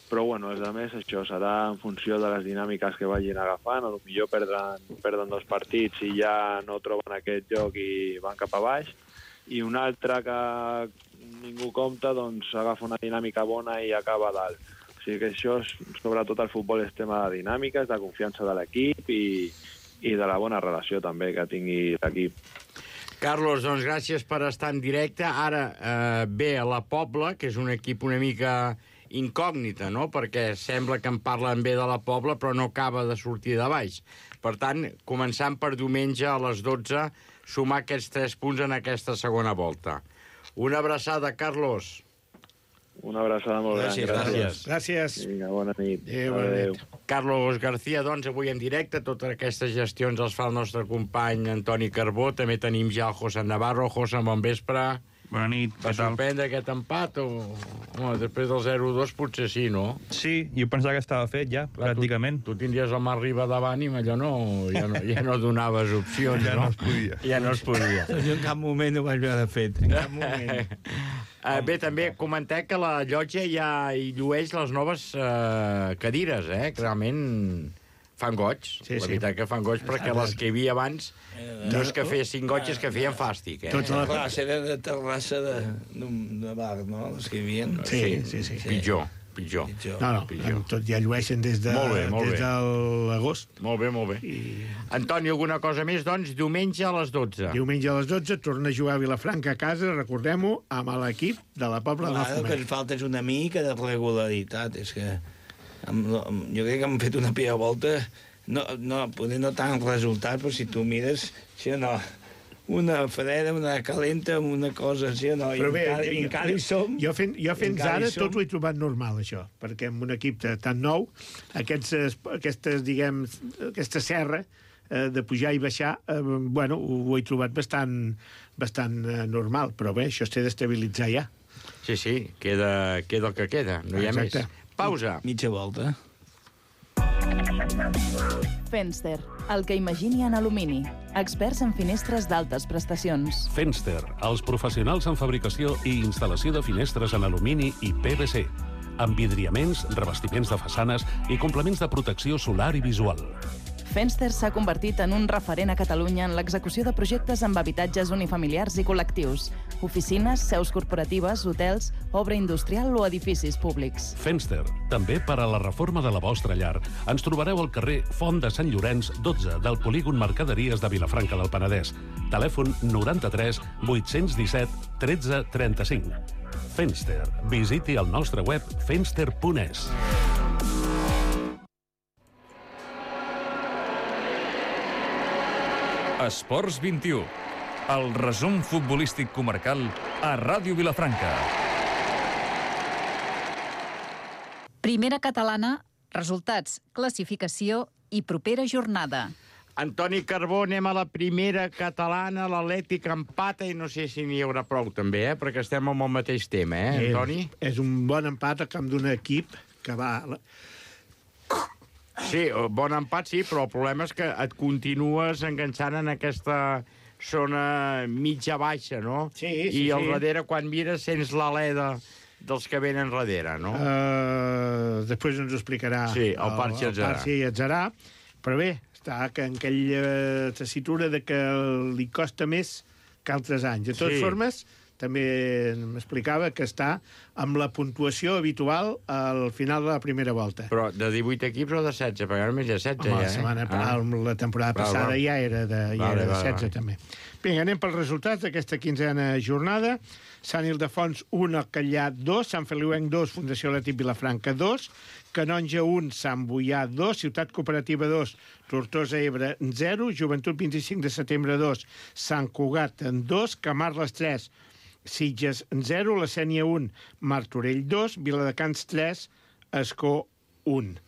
però bueno, els altres això serà en funció de les dinàmiques que vagin agafant, o potser perden, perden dos partits i ja no troben aquest joc i van cap a baix, i un altre que ningú compta, doncs agafa una dinàmica bona i acaba dalt. O sigui que això, sobretot el futbol, és tema de dinàmiques, de confiança de l'equip i, i de la bona relació també que tingui l'equip.
Carlos, doncs gràcies per estar en directe. Ara eh, ve a la Pobla, que és un equip una mica incògnita, no? Perquè sembla que en parlen bé de la Pobla, però no acaba de sortir de baix. Per tant, començant per diumenge a les dotze, sumar aquests tres punts en aquesta segona volta. Una abraçada, Carlos.
Una abraçada molt
Gràcies,
gran.
Gràcies. Gràcies.
Vinga, bona nit.
Adéu, bona
Adéu.
nit.
Carlos García, doncs, avui en directe. Totes aquestes gestions els fa el nostre company Antoni Carbó. També tenim ja el José Navarro. José, bon vespre.
Bona nit,
Va
què tal?
sorprendre aquest empat? O... Home, després del zero dos potser sí, no?
Sí, jo pensava que estava fet ja,
Clar,
pràcticament.
Tu, tu tindries el Mar Riba davant i allò no, ja, no, ja no donaves opcions,
Ja
no?
no es podia.
Ja no es podia.
Jo en cap moment ho vaig veure fet, en cap moment.
Uh, bé, també comentar que la llotja ja hi llueix les noves uh, cadires, eh? Que realment fan goig.
Sí,
la
sí.
veritat que fan goig, perquè les que hi havia abans no és que fessin goig, és que feien fàstic, eh?
Tots a la...
Clar, era de terrassa de, de, de bar, no?, les que hi havia.
Sí, sí, sí.
Pitjor, pitjor.
Pitjor.
No, no,
Pitjor.
tot ja llueixen des de,
Molt bé, molt
des
bé.
de l'agost.
Molt bé, molt bé.
I
Antoni, alguna cosa més? Doncs diumenge a les dotze.
diumenge a les dotze torna a jugar a Vilafranca a casa, recordem-ho, amb l'equip de la Pobla
Clar,
del
el que
Foment.
ens falta és una mica de regularitat. És que amb, amb, jo crec que hem fet una pia volta, no, no, poder no tant resultat, però si tu mires, sí o no, una freda, una calenta, una cosa així o no,
Però
i
bé,
encara,
jo,
i encara hi som.
jo, fent, jo fins
encara hi
ara
som.
tot ho he trobat normal, això, perquè amb un equip de, tan nou, aquests, es- aquestes, diguem, aquesta serra eh, de pujar i baixar, eh, bueno, ho, ho he trobat bastant, bastant eh, normal, però bé, això es té d'estabilitzar ja.
Sí, sí, queda, queda el que queda, no hi ha
Exacte.
més. Pausa.
Mitja volta.
Fenster, el que imagini en alumini. Experts en finestres d'altes prestacions.
Fenster, els professionals en fabricació i instal·lació de finestres en alumini i P V C, amb vidriaments, revestiments de façanes i complements de protecció solar i visual.
Fenster s'ha convertit en un referent a Catalunya en l'execució de projectes amb habitatges unifamiliars i col·lectius, oficines, seus corporatives, hotels, obra industrial o edificis públics.
Fenster, també per a la reforma de la vostra llar. Ens trobareu al carrer Font de Sant Llorenç, dotze, del polígon Mercaderies de Vilafranca del Penedès. Telèfon noranta-tres vuit-cents disset tretze trenta-cinc. Fenster. Visiti el nostre web fenster punt es. Esports vint-i-u. El resum futbolístic comarcal a Ràdio Vilafranca.
Primera catalana, resultats, classificació i propera jornada.
Antoni Carbó, anem a la primera catalana, l'Atlètic empata i no sé si n'hi haurà prou també, eh? Perquè estem amb el mateix tema, eh, Antoni?
És, és un bon empat a camp d'un equip que va...
Sí, bon empat sí, però el problema és que et continues enganxant en aquesta zona mitja-baixa, no?
Sí, sí,
I al
sí.
darrere, quan mires, sents l'alè dels que venen darrere, no?
Uh, després ens ho explicarà
Sí, el Parc Atzarà.
Parc Atzarà. Però bé, està que en aquella tessitura de que li costa més que altres anys. De totes
Sí.
formes, també m'explicava que està amb la puntuació habitual al final de la primera volta.
Però de divuit equips o de setze? Perquè ara més de setze,
Home,
ja,
la,
eh?
setmana,
Ah.
la temporada
Val,
passada
val.
ja era de, ja
Vale,
era de
vale,
setze,
vale.
també. Vinga, anem pels resultats d'aquesta quinzena jornada. Sant Ildefons, un, Alcallà, dos, Sant Feliuenc, dos, Fundació Atlètic Vilafranca, dos, Canonja, un, Sant Boià, dos, Ciutat Cooperativa, dos, Tortosa, Ebre, zero, Joventut, vint-i-cinc de setembre, dos, Sant Cugat, dos, Camarles, tres, Sitges, zero, La Sénia, un, Martorell, dos, Viladecans, tres, Escó, un.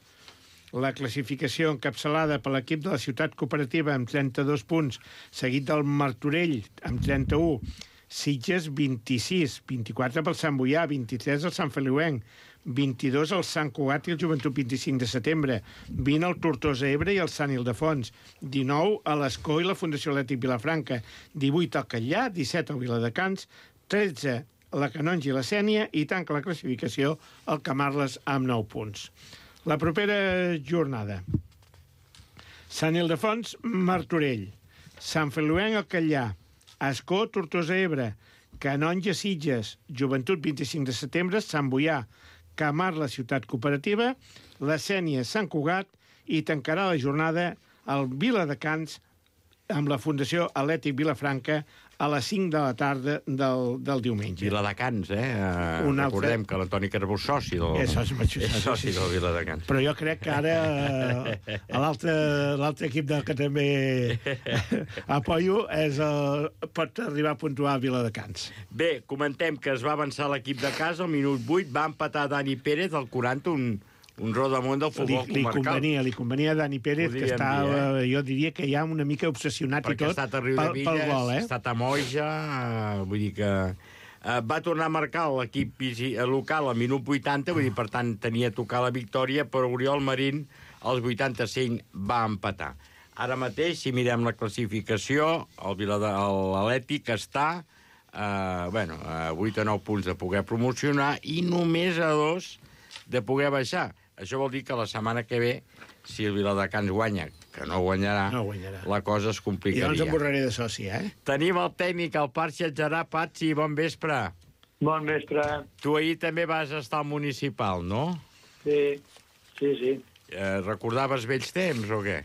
La classificació encapçalada per l'equip de la Ciutat Cooperativa amb trenta-dos punts, seguit del Martorell amb trenta-un, Sitges, vint-i-sis, vint-i-quatre pel Sant Boià, vint-i-tres el Sant Feliuenc, vint-i-dos el Sant Cugat i el Joventut vint-i-cinc de setembre, vint el Tortosa Ebre i el Sant Ildefons, dinou a l'Escó i la Fundació Atlètic Vilafranca, divuit al Catllà, disset al Viladecans, tretze la Canonja i la Sénia i tanca la classificació el Camarles amb nou punts. La propera jornada. Sant Ildefons, Martorell, Sant Feliuenc, el Catllà, Escó, Tortosa Ebre, Canonja, Sitges, Joventut vint-i-cinc de setembre, Sant Boià, Camarles, Ciutat Cooperativa, la Sénia, Sant Cugat i tancarà la jornada el Viladecans amb la Fundació Atlètic Vilafranca a les cinc de la tarda del, del diumenge.
Viladecans, eh? Uh,
Un altre...
Recordem que l'Antoni Carbó és soci del...
És soci, soci,
és soci
sí, sí.
del Viladecans.
Però jo crec que ara eh, l'altre equip del que també apoyo és el, pot arribar a puntuar a Viladecans.
Bé, comentem que es va avançar l'equip de casa, al minut vuit va empatar Dani Pérez, al quaranta, un, un rodamunt del futbol
li, li
comarcal.
Convenia, li convenia a Dani Pérez, que està, dir, eh? jo diria que ja una mica obsessionat
perquè
i tot
ha estat a Riu
pel,
de Villes,
pel gol, eh?
ha estat a Moja, uh, vull dir que... Uh, va tornar a marcar l'equip local al minut vuitanta, vull dir, per tant, tenia a tocar la victòria, però Oriol Marín, als vuitanta-cinc, va empatar. Ara mateix, si mirem la classificació, l'Atlètic està uh, bueno, a vuit o nou punts de poder promocionar i només a dos de poder baixar. Això vol dir que la setmana que ve, si el Viladecans guanya, que no guanyarà,
no guanyarà,
la cosa es complicaria.
I llavors em borraré de soci, eh?
Tenim el tècnic, el Patxi Adjarà. Patxi, bon vespre.
Bon vespre.
Tu ahir també vas estar al municipal, no?
Sí, sí, sí.
Eh, recordaves vells temps o què?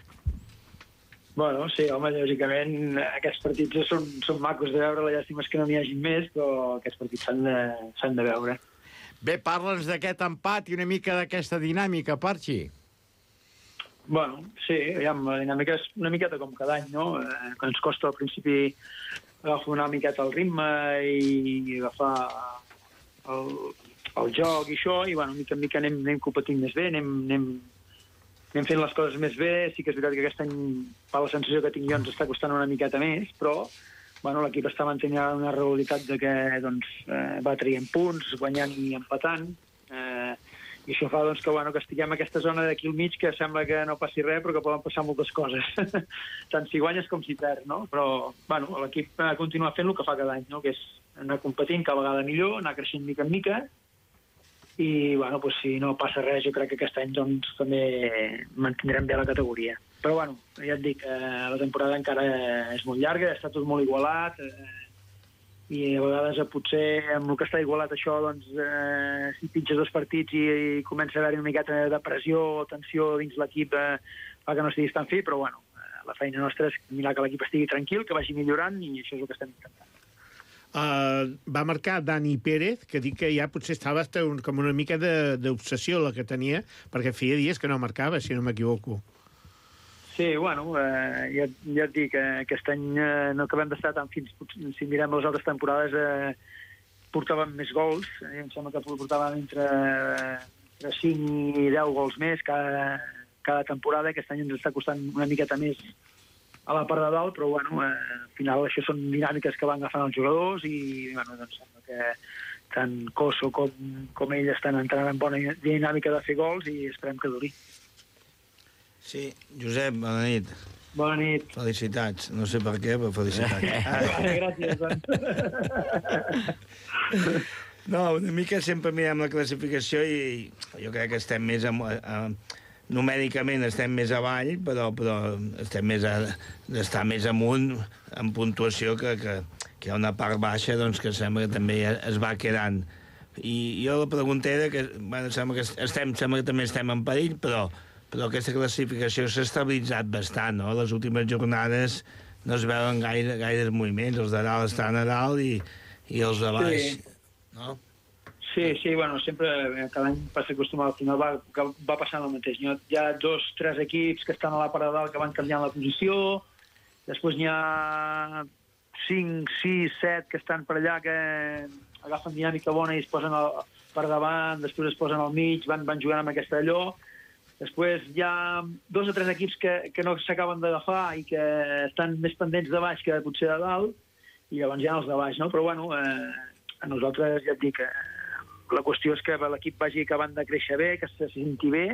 Bueno, sí, home, lògicament aquests partits són, són macos de veure, la llàstima és que no n'hi hagi més, però aquests partits s'han de, s'han de veure.
Bé, parla'ns d'aquest empat i una mica d'aquesta dinàmica, Patxi.
Bueno, sí, aviam, la dinàmica és una miqueta com cada any, no? Eh, que ens costa al principi agafar una miqueta el ritme i agafar el, el joc i això, i bueno, mica en mica anem, anem competint més bé, anem, anem, anem fent les coses més bé. Sí que és veritat que aquest any, per la sensació que tinc jo, ens està costant una miqueta més, però bueno, l'equip està mantenint una regularitat de que doncs, eh, va traient punts, guanyant i empatant, eh, i això fa doncs, que, bueno, que estiguem en aquesta zona d'aquí al mig que sembla que no passi res, però que poden passar moltes coses. Tant si guanyes com si perds, no? Però bueno, l'equip continua fent el que fa cada any, no? Que és anar competint cada vegada millor, anar creixent mica en mica, i bueno, pues, si no passa res, jo crec que aquest any doncs, també mantindrem bé la categoria. Però bueno, ja et dic, eh, la temporada encara és molt llarga, està tot molt igualat, eh, i a vegades eh, potser amb el que està igualat això, doncs, eh, si pitges dos partits i, i comença a haver-hi una miqueta de pressió o tensió dins l'equip, eh, fa que no estiguis tan fi, però bueno, eh, la feina nostra és mirar que l'equip estigui tranquil, que vagi millorant, i això és el que estem intentant.
Uh, va marcar Dani Pérez, que dic que ja potser estava un, com una mica d'obsessió la que tenia, perquè feia dies que no marcava, si no m'equivoco.
Sí, bueno, eh, ja, ja et dic que aquest any eh, no acabem d'estar tan fins, si mirem les altres temporades eh, portàvem més gols, eh, em sembla que portàvem entre, entre cinc i deu gols més cada, cada temporada. Aquest any ens està costant una miqueta més a la part de dalt, però bueno, eh, al final això són dinàmiques que van agafant els jugadors i bueno, doncs sembla que tant Coso com, com ell estan entrant en bona dinàmica de fer gols i esperem que duri.
Sí, Josep, bona nit.
Bona nit.
Felicitats. No sé per què, però felicitats.
Ah, gràcies, doncs.
No, una mica sempre mirem la classificació i jo crec que estem més... A, a, numèricament estem més avall, però, però estem més a, estar més amunt en puntuació que, que, que hi ha una part baixa doncs, que sembla que també es va quedant. I jo la pregunta era que, bueno, sembla que estem, sembla que també estem en perill, però, però aquesta classificació s'ha estabilitzat bastant, no? Les últimes jornades no es veuen gaire, gaires moviments, els de dalt estan a dalt i, i els de baix,
sí.
No?
Sí, sí, bueno, sempre, cada any passa acostumat, al final va, va passant el mateix. Hi ha dos, tres equips que estan a la part de dalt que van canviant la posició, després n'hi ha cinc, sis, set que estan per allà que agafen dinàmica bona i es posen al, per davant, després es posen al mig, van, van jugant amb aquesta allò. Després hi ha dos o tres equips que, que no s'acaben d'agafar i que estan més pendents de baix que potser de dalt, i llavors ja els de baix, no? Però, bueno, eh, a nosaltres ja et dic, eh, la qüestió és que l'equip vagi acabant de créixer bé, que se senti bé,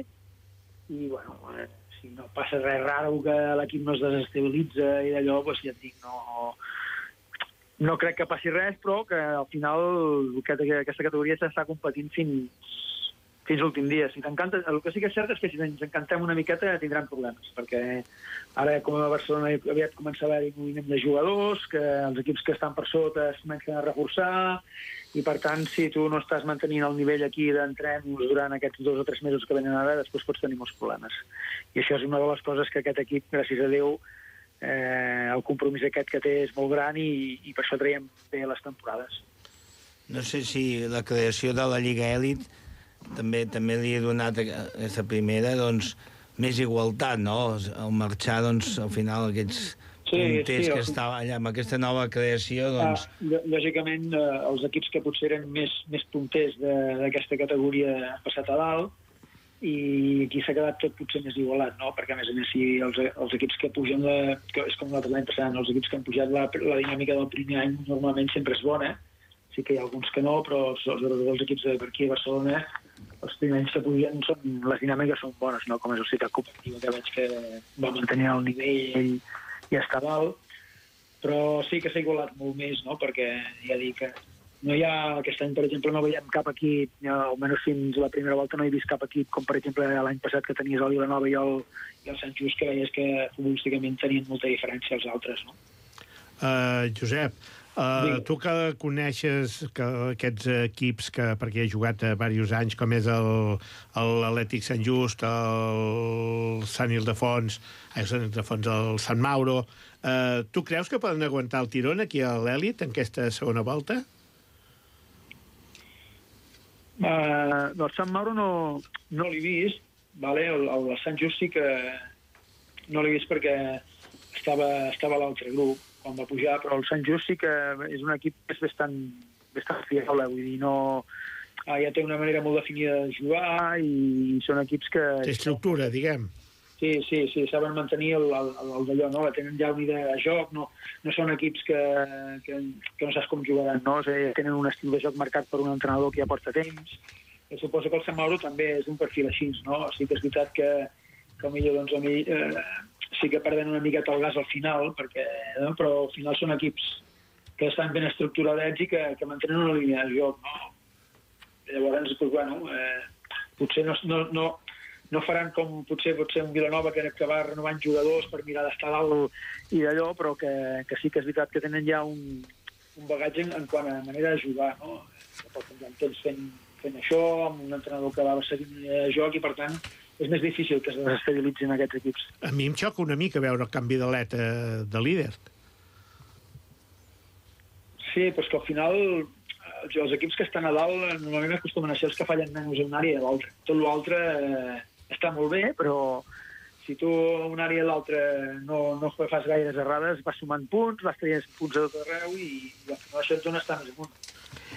i, bueno, eh, si no passa res raro, que l'equip no es desestabilitza i d'allò, doncs ja et dic, no... No crec que passi res, però que al final aquesta categoria s'està competint fins, fins l'últim dia. Si t'encanta, el que sí que és cert és que si ens encantem una miqueta tindran problemes, perquè ara, com a Barcelona, aviat comença a haver-hi moviment de jugadors, que els equips que estan per sota es comencen a reforçar, i per tant, si tu no estàs mantenint el nivell aquí d'entrenos durant aquests dos o tres mesos que venen ara, després pots tenir molts problemes. I això és una de les coses que aquest equip, gràcies a Déu, Eh, el compromís aquest que té és molt gran i, i per això traiem bé les temporades.
No sé si la creació de la Lliga Èlit també també li ha donat a aquesta primera doncs, més igualtat, no? Al marxar, doncs, al final, aquests sí, punters sí, que el... estaven allà amb aquesta nova creació, doncs...
Ah, lògicament, eh, els equips que potser eren més, més punters d'aquesta categoria han passat a dalt, i aquí s'ha quedat tot potser més igualat, no? Perquè, a més a més, si els, els equips que pugen, la, que és com l'altre l'any passat, els equips que han pujat la, la dinàmica del primer any normalment sempre és bona, sí que hi ha alguns que no, però els, els, els equips de per aquí a Barcelona, els primers anys que pugen, són, les dinàmiques són bones, no? Com és el Ciutat Cooperativa, que veig que va mantenir el nivell i està dalt, però sí que s'ha igualat molt més, no? Perquè ja dic que no hi ha, aquest any, per exemple, no veiem cap equip, almenys fins la primera volta no he vist cap equip, com per exemple l'any passat que tenies el Vilanova i el, i el Sant Just, que veies que futbolísticament tenien molta diferència als altres, no?
Uh, Josep, uh, tu que coneixes que aquests equips, que, perquè he jugat a diversos anys, com és l'Atlètic Sant Just, el Sant Ildefons, el Sant Ildefons, el Sant Mauro, uh, tu creus que poden aguantar el tirón aquí a l'Èlit en aquesta segona volta?
Uh, del Sant Mauro no, no l'he vist, vale? el, el Sant Just sí que no l'he vist perquè estava, estava a l'altre grup quan va pujar, però el Sant Just sí que és un equip que és bastant, bastant fiable, vull dir, no, uh, ja té una manera molt definida de jugar i són equips que...
Té estructura, diguem.
Sí, sí, sí, saben mantenir el, el, el d'allò, no? Tenen ja una idea de joc, no, no són equips que, que, que no saps com jugaran, no? O sigui, tenen un estil de joc marcat per un entrenador que ja porta temps. I suposo que el Sant Mauro també és un perfil així, no? Sí que és veritat que, que millor, doncs, a mi eh, sí que perden una miqueta el gas al final, perquè, no? Però al final són equips que estan ben estructurats i que, que mantenen una línia de joc, no? Llavors, doncs, bueno, eh, potser no... no, no no faran com potser potser un Vilanova que, que va renovant jugadors per mirar d'estar dalt i d'allò, però que, que sí que és veritat que tenen ja un, un bagatge en, en quant a manera de jugar, no? Que porten ja temps fent, fent això, amb un entrenador que va seguir de joc i, per tant, és més difícil que es desestabilitzin aquests equips.
A mi em xoca una mica veure el canvi d'aleta de líder.
Sí, però és que al final els equips que estan a dalt normalment acostumen a ser els que fallen menys en una àrea i a l'altra. Tot l'altre eh, està molt bé, però si tu a una àrea i a l'altra no, no fas gaires errades, vas sumant punts, vas traient punts a tot arreu i, i al final això et dona estar més amunt.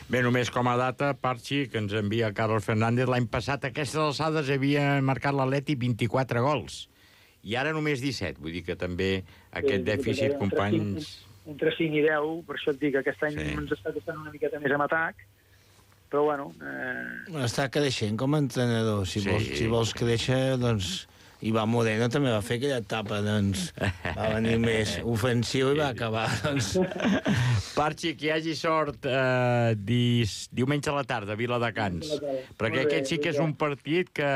Bé, només com a data, Parchi, que ens envia Carlos Fernández, l'any passat a aquestes alçades havia marcat l'Atleti vint-i-quatre gols, i ara només disset, vull dir que també aquest sí, dèficit,
entre
companys...
cinc, entre cinc i deu, per això et dic que aquest any sí. Ens està costant una miqueta més amb atac, però bueno... Eh...
Està creixent com a entrenador. Si, sí. vols, si vols créixer, doncs... Ivan Moreno també va fer aquella etapa, doncs... Va venir més ofensiu i va acabar, doncs...
Parchi, que hi hagi sort eh, dis, diumenge a la tarda, a Viladecans. Perquè bé, aquest sí que és un partit que...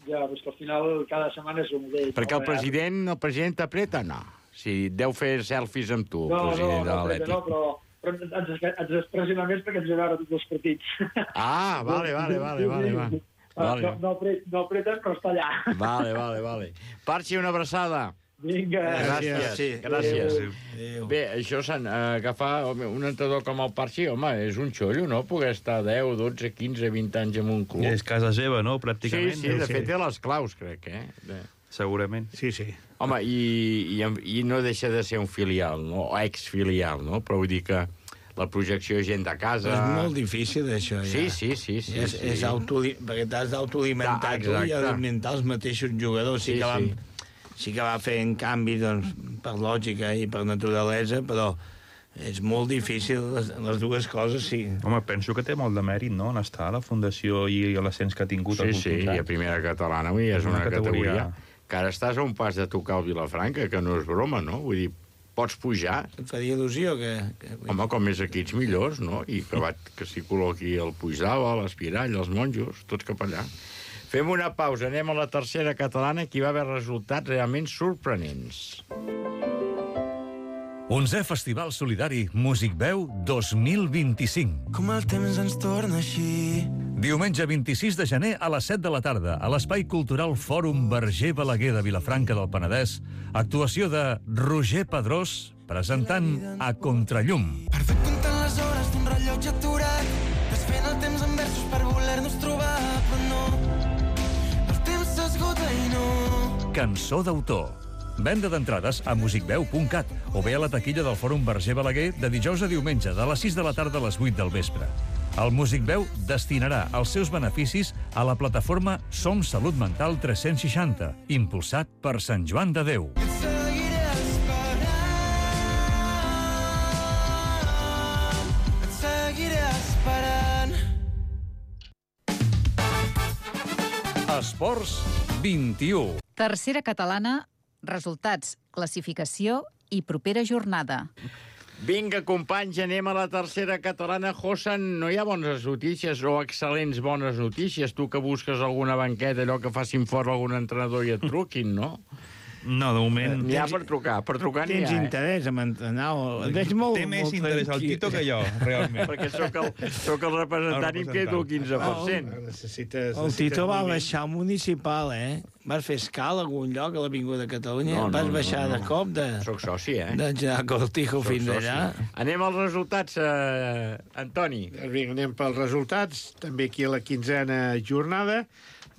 Ja, però que al final cada setmana és un mateix.
Perquè el president, el president t'apreta, no. Si deu fer selfies amb tu,
no,
el president
no,
de l'Atlètic.
No, però... però ens, ens expressina més perquè ens veure tots els partits.
Ah, vale, vale, vale, vale, vale. vale.
No, no, no apreten, però està allà.
Vale, vale, vale. Parchi, una abraçada.
Vinga.
Gràcies. Sí, gràcies. Adéu. Bé, això s'han agafar un entrenador com el Parchi, home, és un xollo, no? Poder estar deu, dotze, quinze, vint anys en un club.
És casa seva, no?, pràcticament.
Sí, sí, de fet té les claus, crec, eh? De...
Segurament.
Sí, sí.
Home, i, i, i no deixa de ser un filial, no? O exfilial, no? Però vull dir que la projecció és gent de casa...
És molt difícil, això, ja.
Sí, sí, sí. sí,
és,
sí.
és auto... perquè t'has d'autoalimentar tu i alimentar els mateixos jugadors. Sí, sí, que, vam, sí. sí que va fent canvi, doncs, per lògica i per naturalesa, però és molt difícil, les, les dues coses, sí.
Home, penso que té molt de mèrit, no?, en estar a la Fundació i l'ascens que ha tingut
sí,
els últims
sí,
anys.
i a primera catalana, avui és una, una categoria... categoria que ara estàs a un pas de tocar el Vilafranca, que no és broma, no? Vull dir, pots pujar...
Et faria il·lusió que... que...
Home, com més equips millors, no? I que, va, que s'hi col·loqui el Puigdava, l'Espirall, els monjos, tots cap allà. Fem una pausa, anem a la tercera catalana, que hi va haver resultats realment sorprenents.
onzè Festival Solidari Músic Veu dos mil vint-i-cinc.
Com el temps ens torna així.
Diumenge vint-i-sis de gener a les set de la tarda, a l'Espai Cultural Fòrum Verger Balaguer de Vilafranca del Penedès, actuació de Roger Pedrós, presentant A Contrallum.
Perdut comptant les hores d'un rellotge aturat, desfent el temps en versos per voler-nos trobar, però no, el temps s'esgota i no.
Cançó d'autor. Venda d'entrades a musicveu punt cat o bé a la taquilla del Fòrum Verger Balaguer de dijous a diumenge, de les sis de la tarda a les vuit del vespre. El Músic Veu destinarà els seus beneficis a la plataforma Som Salut Mental tres-cents seixanta, impulsat per Sant Joan de Déu.
Et seguiré esperant, et seguiré esperant.
Esports vint-i-u.
Tercera catalana, resultats, classificació i propera jornada.
Vinga, companys, anem a la tercera catalana. Josan, no hi ha bones notícies o excel·lents bones notícies? Tu que busques alguna banqueta, allò que facin fora algun entrenador i et truquin, no?
No, de moment...
N'hi ha per trucar, per trucar n'hi ha,
Tens
eh?
interès en entrenar, o... Et veig molt,
Té més
molt
interès el Tito que jo, realment.
Perquè sóc el, sóc el representant i em quedo el quinze per cent.
Necessites,
El Tito va baixar al municipal, eh? Vas fer escala a algun lloc a l'Avinguda de Catalunya?
No, no,
Vas
no,
baixar
no, no.
de cop de...
Soc soci, eh?
De General Cortijo
Soc
fins
soci.
allà.
Anem als resultats, eh, Antoni.
Vinga, anem pels resultats. També aquí a la quinzena jornada.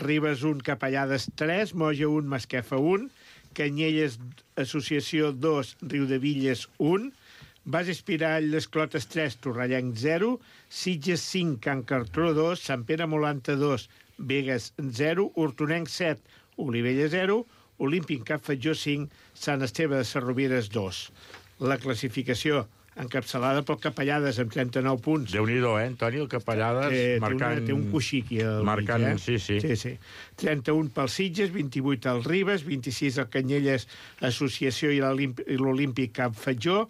Ribes un, Capellades tres, Moja un, Masquefa un, Canyelles Associació dos, Riudevilles un, Bas Espirall, Les Clotes tres, Torrellenc zero, Sitges cinc, Can Cartró dos, Sant Pere Molanta dos, Begues zero, Hortonenc set, Olivella zero, Olímpic Cap Fatjó cinc, Sant Esteve de Sarrovires dos. La classificació encapçalada pel Capellades amb trenta-nou punts.
Déu-n'hi-do, eh, Antoni, el Capellades
Eh,
marcant...
té, una, té un coixí aquí al
marcant,
mig, eh?
sí, sí.
sí, sí. trenta-un pel Sitges, vint-i-vuit al Ribes, vint-i-sis al Canyelles Associació i l'Olímpic Cap Fatjó,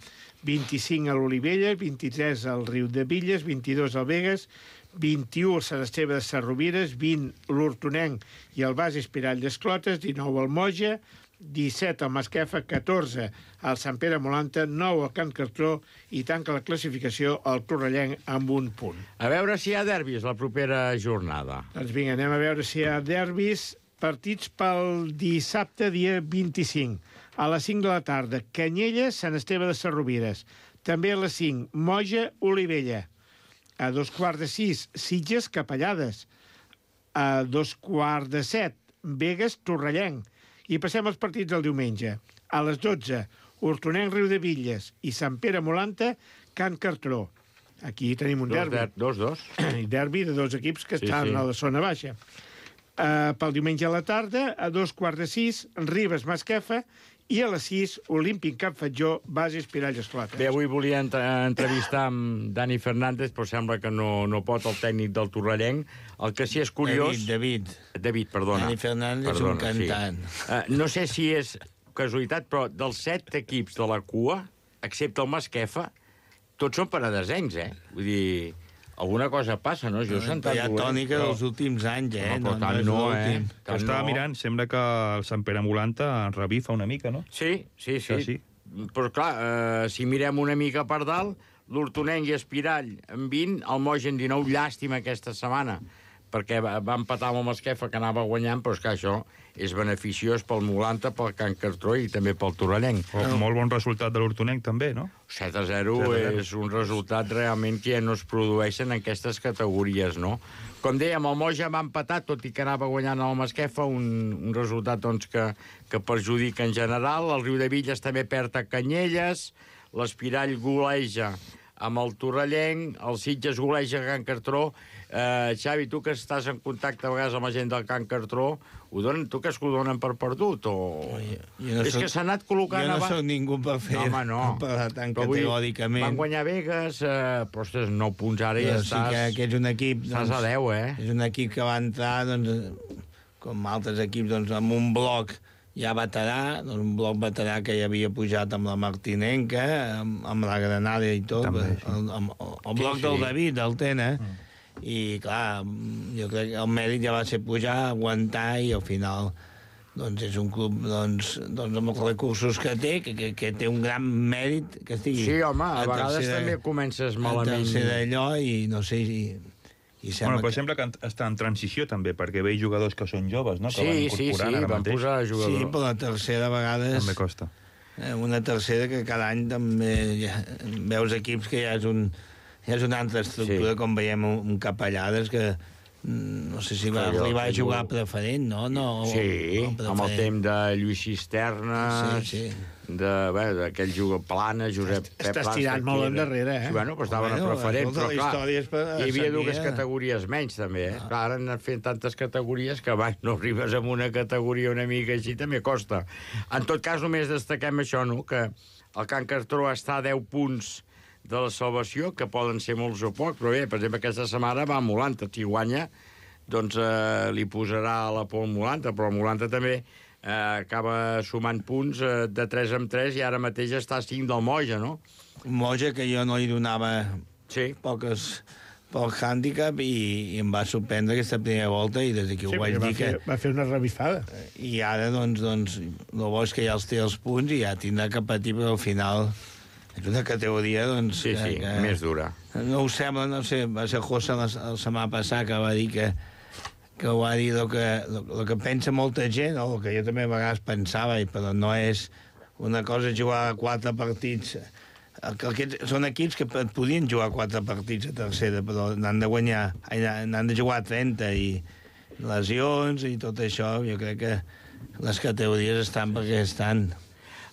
vint-i-cinc a l'Olivella, vint-i-tres al Riudevilles, vint-i-dos al Begues, vint-i-u al Sant Esteve de Sarrovires, vint l'Hortonenc i el Bas Espirall d'Esclotes, dinou al Moja, disset al Masquefa, catorze al Sant Pere Molanta, nou al Can Cartró i tanca la classificació al Torrellenc amb un punt.
A veure si hi ha derbis la propera jornada.
Doncs vinga, anem a veure si hi ha derbis. Partits pel dissabte, dia vint-i-cinc. A les cinc de la tarda, Canyelles, Sant Esteve de Sarrovires. També a les cinc, Moja, Olivella. A dos quarts de sis, Sitges, Capellades. A dos quarts de set, Begues, Torrellenc. I passem als partits del diumenge. A les dotze, Hortonenc, Riudevilles i Sant Pere Molanta, Can Cartró. Aquí tenim un
Dos,
derbi.
der, dos, dos.
I derbi de dos equips que
Sí,
estan
sí.
a la zona baixa. Uh, pel diumenge a la tarda, a dos quarts de sis, Ribes, Masquefa, i a les sis, Olímpic Cap Fatjó, Base Espirall Esclotes.
Bé, avui volia entre entrevistar amb Dani Fernández, però sembla que no, no pot el tècnic del Torrellenc. El que sí és curiós...
David,
David. David, perdona.
Dani Fernández és un cantant.
Sí. Uh, no sé si és casualitat, però dels set equips de la cua, excepte el Masquefa, tots són paradesencs, eh? Vull dir... Alguna cosa passa, no? Jo he sentat...
Hi ha tònica
però...
dels últims anys, eh?
No, però tant
és
no, eh?
l'últim.
Que estava mirant, sembla que el Sant Pere Molanta revifa una mica, no?
Sí, sí, sí.
Que sí.
Però, clar, eh, si mirem una mica per dalt, l'Hortonenc i Espirall en vint, el Moja en dinou, llàstima aquesta setmana, perquè va, va empatar amb el Masquefa, que anava guanyant, però és que això és beneficiós pel Molanta, pel Can Cartró i també pel Torrellenc.
Oh, molt bon resultat de l'Hortonenc, també, no?
set a zero és un resultat realment que ja no es produeixen en aquestes categories, no? Com dèiem, el Moja va empatar, tot i que anava guanyant el Masquefa, un, un resultat doncs, que, que perjudica en general. El Riudevilles també perd a Canyelles, l'Espirall goleja amb el Torrellenc, el Sitges goleja Can Cartró. Eh, Xavi, tu que estàs en contacte a vegades amb la gent del Can Cartró, ho donen, tu que es ho donen per perdut? O...
Jo, jo no
és
soc,
que s'ha anat col·locant...
Jo no
abans...
soc ningú per fer...
No, home, no.
Per parlar tan
però
categòricament.
Van guanyar Vegas, eh, però ostres, nou punts ara i ja
sí
estàs...
que, que és un equip...
Estàs doncs, a deu, eh?
És un equip que va entrar, doncs, com altres equips, doncs, amb un bloc ja veterà, doncs, un bloc veterà que ja havia pujat amb la Martinenca, amb, amb la Granada i tot, també, sí. el, amb, el, el bloc sí, sí. del David, del Tena, mm. i clar, jo crec que el mèrit ja va ser pujar, aguantar, i al final doncs és un club doncs, doncs amb els recursos que té, que, que, que té un gran mèrit que estigui...
Sí, home, a, a vegades
tercera,
també comences malament.
A tercera allò, i no sé si... I
bueno, però que... sembla que està en transició també, perquè veig jugadors que són joves, no? Que
sí,
van incorporant
sí, sí, van
mateix.
posar jugadors.
Sí, però la tercera a vegades...
També costa.
Eh, una tercera que cada any també ja, veus equips que ja és, un, ja és una altra estructura, sí. com veiem un, un Capellades que no sé si va
Allò,
arribar a jugar
jo...
preferent, no? no
sí,
no
amb el temps de Lluís Cisternes,
sí, sí.
d'aquell jugador Plana, Josep Pep Plana.
Estàs tirant molt endarrere, eh?
Sí, bueno, però estaven
bueno,
a preferent, però clar,
hi
havia dues categories menys, també, eh? Ah. Clar, ara han anat fent tantes categories que abans no arribes a una categoria una mica així, també costa. En tot cas, només destaquem això, no?, que el Can Cartró està a deu punts de la salvació, que poden ser molts o pocs, però bé, per exemple, aquesta setmana va a Molanta, si guanya, doncs eh, li posarà la por al Molanta, però el Molanta també eh, acaba sumant punts eh, de tres en tres i ara mateix està a cinc del Moja, no?
Moja, que jo no li donava
sí.
poques pel hàndicap, i, i em va sorprendre aquesta primera volta, i des d'aquí
sí,
ho vaig dir
fer,
que...
va fer una revifada.
I ara, doncs, doncs el bo és que ja els té els punts i ja tindrà que patir, però al final... És una categoria, doncs...
Sí, sí,
que,
més dura.
No ho sembla, no sé, va ser José la, la setmana passada que va dir que, que ho va dir el que, el que pensa molta gent, o el que jo també a vegades pensava, però no és una cosa jugar quatre partits... Aquests són equips que podien jugar quatre partits a tercera, però n'han de guanyar, n'han de jugar trenta, i lesions i tot això, jo crec que les categories estan perquè estan...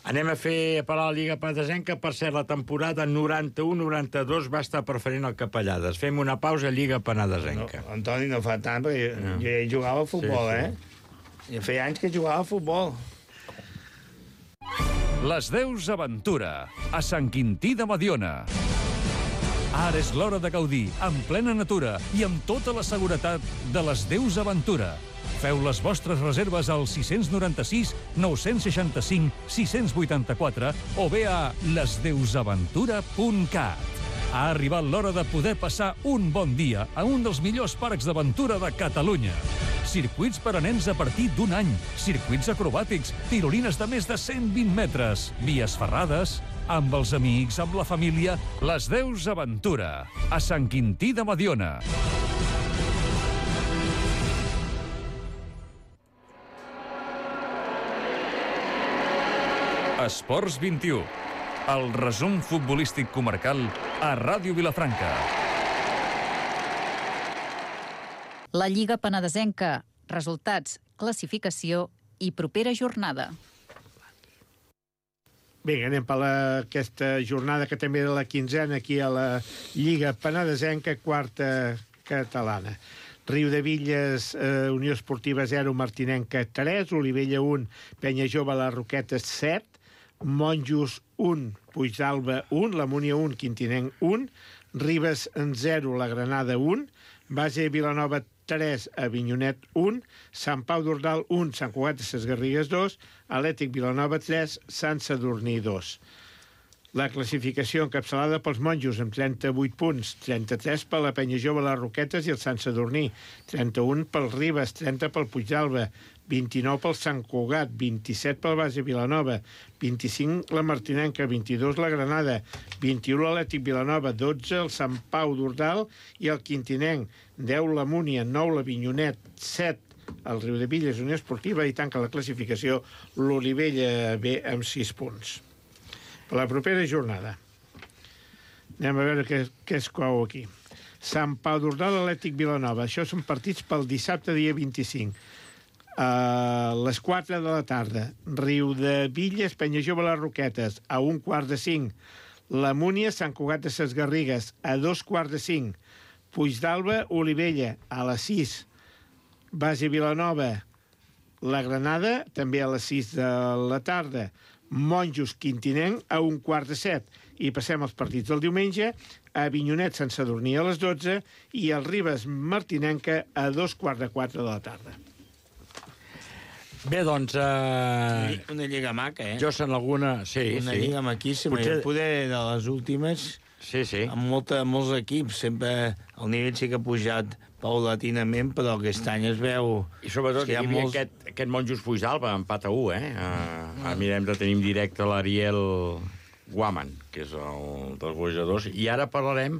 Anem a fer a parar la Lliga Penedesenca. Per cert, la temporada noranta-u noranta-dos va estar preferent el Capellades. Fem una pausa a Lliga Penedesenca.
No, Antoni, no fa tant, perquè no. jo ja hi jugava a futbol, sí, sí. eh? Ja feia anys que jugava a futbol.
Les Deus Aventura, a Sant Quintí de Mediona. Ara és l'hora de gaudir, en plena natura i amb tota la seguretat de les Deus Aventura. Feu les vostres reserves al sis nou sis, nou sis cinc, sis vuit quatre o bé a les deus aventura punt cat. Ha arribat l'hora de poder passar un bon dia a un dels millors parcs d'aventura de Catalunya. Circuits per a nens a partir d'un any, circuits acrobàtics, tirolines de més de cent vint metres, vies ferrades, amb els amics, amb la família, les Deus Aventura, a Sant Quintí de Mediona. Esports vint-i-u, el resum futbolístic comarcal a Ràdio Vilafranca.
La Lliga Penedesenca, resultats, classificació i propera jornada.
Vinga, anem per la, aquesta jornada que també era la quinzena aquí a la Lliga Penedesenca, quarta catalana. Riudevilles, eh, Unió Esportiva zero, Martinenca tres, Olivella un, Penya Jove, les Roquetes set, Monjos un, Puigdalba un, la Múnia un, Quintinenc un, Ribes zero, la Granada un, Base Vilanova tres, Avinyonet un, Sant Pau d'Ordal un, Sant Cugat de ses Garrigues dos, Atlètic Vilanova tres, Sant Sadurní dos. La classificació encapçalada pels Monjos amb trenta-vuit punts, trenta-tres per la Penya Jove, les Roquetes i el Sant Sadurní, trenta-un pel Ribes, trenta pel Puigdalba, vint-i-nou pel Sant Cugat, vint-i-set pel Base Vilanova, vint-i-cinc la Martinenca, vint-i-dos la Granada, vint-i-u l'Atlètic Vilanova, dotze el Sant Pau d'Ordal i el Quintinenc, deu la Múnia, nou l'Avinyonet, set el Riudevilles, Unió Esportiva, i tanca la classificació l'Olivella B amb sis punts. Per la propera jornada. Anem a veure què, què es cou aquí. Sant Pau d'Ordal, Atlètic Vilanova. Això són partits pel dissabte, dia vint-i-cinc. A les quatre de la tarda. Riudevilles, Penya Jove, les Roquetes. A un quart de cinc. La Múnia, Sant Cugat de ses Garrigues, a dos quarts de cinc. Puigdàlber, Olivella, a les sis. Base Vilanova, la Granada, també a les sis de la tarda. Monjos, Quintinenc, a un quart de set. I passem als partits del diumenge, a Avinyonet, Sant Sadurní, a les dotze, i el Ribes, Martinenca, a dos quarts de quatre de la tarda.
Bé, doncs... Uh...
Una lliga maca, eh?
Jo sent alguna... Sí,
una
sí.
lliga maquíssima. Potser... Poder de les últimes...
Sí, sí.
Amb molta, molts equips. Sempre el nivell sí que ha pujat paulatinament, però aquest any es veu...
I sobretot
hi
hi havia
molts...
aquest, aquest Monjos Puigdàlber, empat a u, eh? Uh, ara mirem de tenir en directe l'Ariel Guaman, que és el dels golejadors, i ara parlarem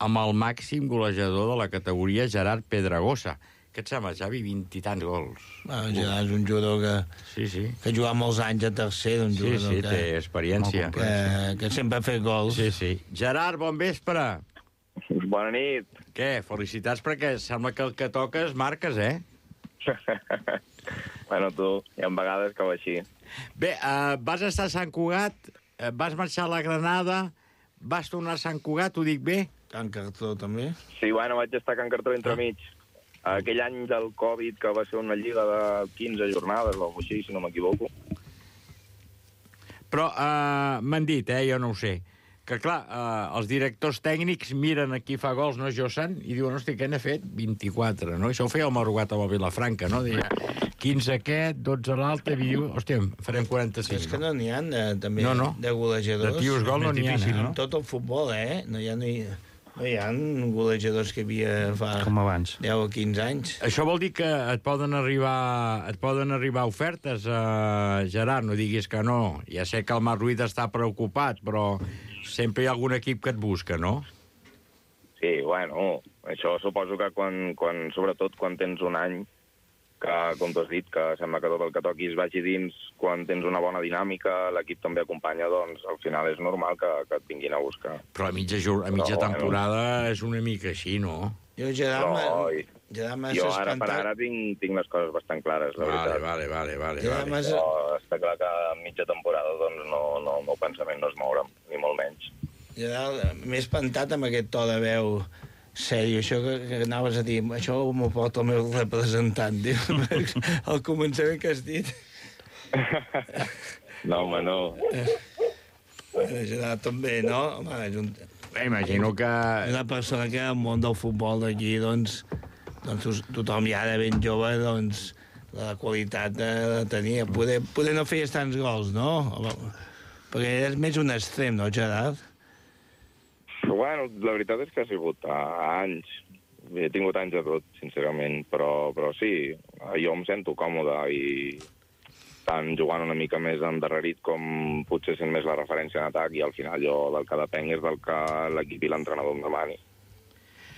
amb el màxim golejador de la categoria, Gerard Pedragosa. Què et sembla, Xavi? Vint i tants gols.
Bueno, Gerard és un jugador que,
sí, sí.
que ha jugat molts anys a tercer, un jugador
sí, sí,
que,
té experiència.
Que, que sempre ha fet gols.
Sí, sí. Gerard, bon vespre.
Bona nit.
Què? Felicitats perquè sembla que el que toques marques, eh?
Bueno, tu, hi ha vegades que va així.
Bé, uh, vas estar a Sant Cugat, uh, vas marxar a la Granada, vas tornar a Sant Cugat, ho dic bé?
Can Cartró, també?
Sí, bueno, vaig estar a Can Cartró entremig. Aquell any del Covid, que va ser una lliga de quinze jornades, o així, si no m'equivoco.
Però uh, m'han dit, eh, jo no ho sé, que clar, uh, els directors tècnics miren a qui fa gols, no, Josan, i diuen, hosti, què n'ha fet? vint-i-quatre, no? Això ho feia el Marugat amb el Vilafranca, no? Deia, quinze aquest, dotze l'altre, i diu, hòstia, farem quaranta-cinc.
És que no n'hi ha, de, també,
no, no.
de golejadors.
De tios gol no n'hi ha, eh?
En tot el futbol, eh? No hi ha... No hi... No hi ha golejadors que havia fa
com abans.
deu o quinze anys.
Això vol dir que et poden arribar, et poden arribar ofertes, uh, Gerard, no diguis que no. Ja sé que el Marc Ruiz està preocupat, però sempre hi ha algun equip que et busca, no?
Sí, bueno, això suposo que quan, quan sobretot quan tens un any que, com tu has dit, que sembla que tot el que toquis vagi dins, quan tens una bona dinàmica, l'equip també acompanya, doncs al final és normal que, que et vinguin a buscar.
Però a mitja, a mitja Però, temporada bueno, és una mica així, no?
Jo, Gerard,
no,
i... Gerard
jo ara per ara tinc, tinc les coses bastant clares, la
vale,
veritat.
Vale, vale, vale.
vale.
Mas...
Però està clar que a mitja temporada doncs, no, no, el meu pensament no es mourà, ni molt menys.
Gerard, m'he espantat amb aquest to de veu sèrio, això que, que anaves a dir, això m'ho porta el meu representant, diu, al començament que has dit.
No, home, no.
Eh, Gerard, també, no? Home, és un...
Bé, imagino que...
Una persona que al món del futbol d'aquí, doncs, doncs tothom ja de ben jove, doncs, la qualitat de, de tenir. Poder, poder no feies tants gols, no? Perquè és més un extrem, no, Gerard?
Bueno, la veritat és que ha sigut a anys. He tingut anys de tot, sincerament, però, però sí, jo em sento còmode i tant jugant una mica més endarrerit com potser sent més la referència en atac i al final jo del que depenc és del que l'equip i l'entrenador em demani.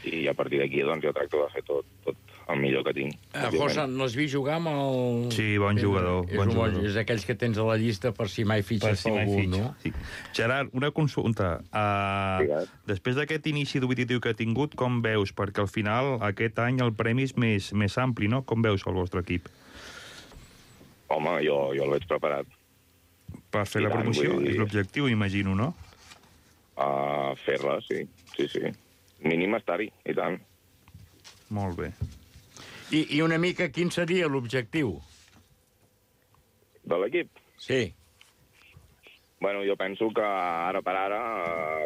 I a partir d'aquí doncs jo tracto de fer tot, tot el millor que tinc.
Uh, José, l'has vist jugar amb el...
Sí, bon jugador.
És,
bon
un
jugador.
Bon, és aquells que tens a la llista per si mai fitxes per, si algú, fitxa. No?
Sí. Gerard, una consulta. Uh, sí, després d'aquest inici competitiu que ha tingut, com veus? Perquè al final aquest any el premi és més, més ampli, no? Com veus el vostre equip?
Home, jo, jo el veig preparat.
Per fer I la promoció? Dir... És l'objectiu, imagino, no?
Uh, Fer-la, sí. Sí, sí. Mínim estar-hi, i tant.
Molt bé.
I, I una mica quin seria l'objectiu?
De l'equip?
Sí.
Bueno, jo penso que ara per ara,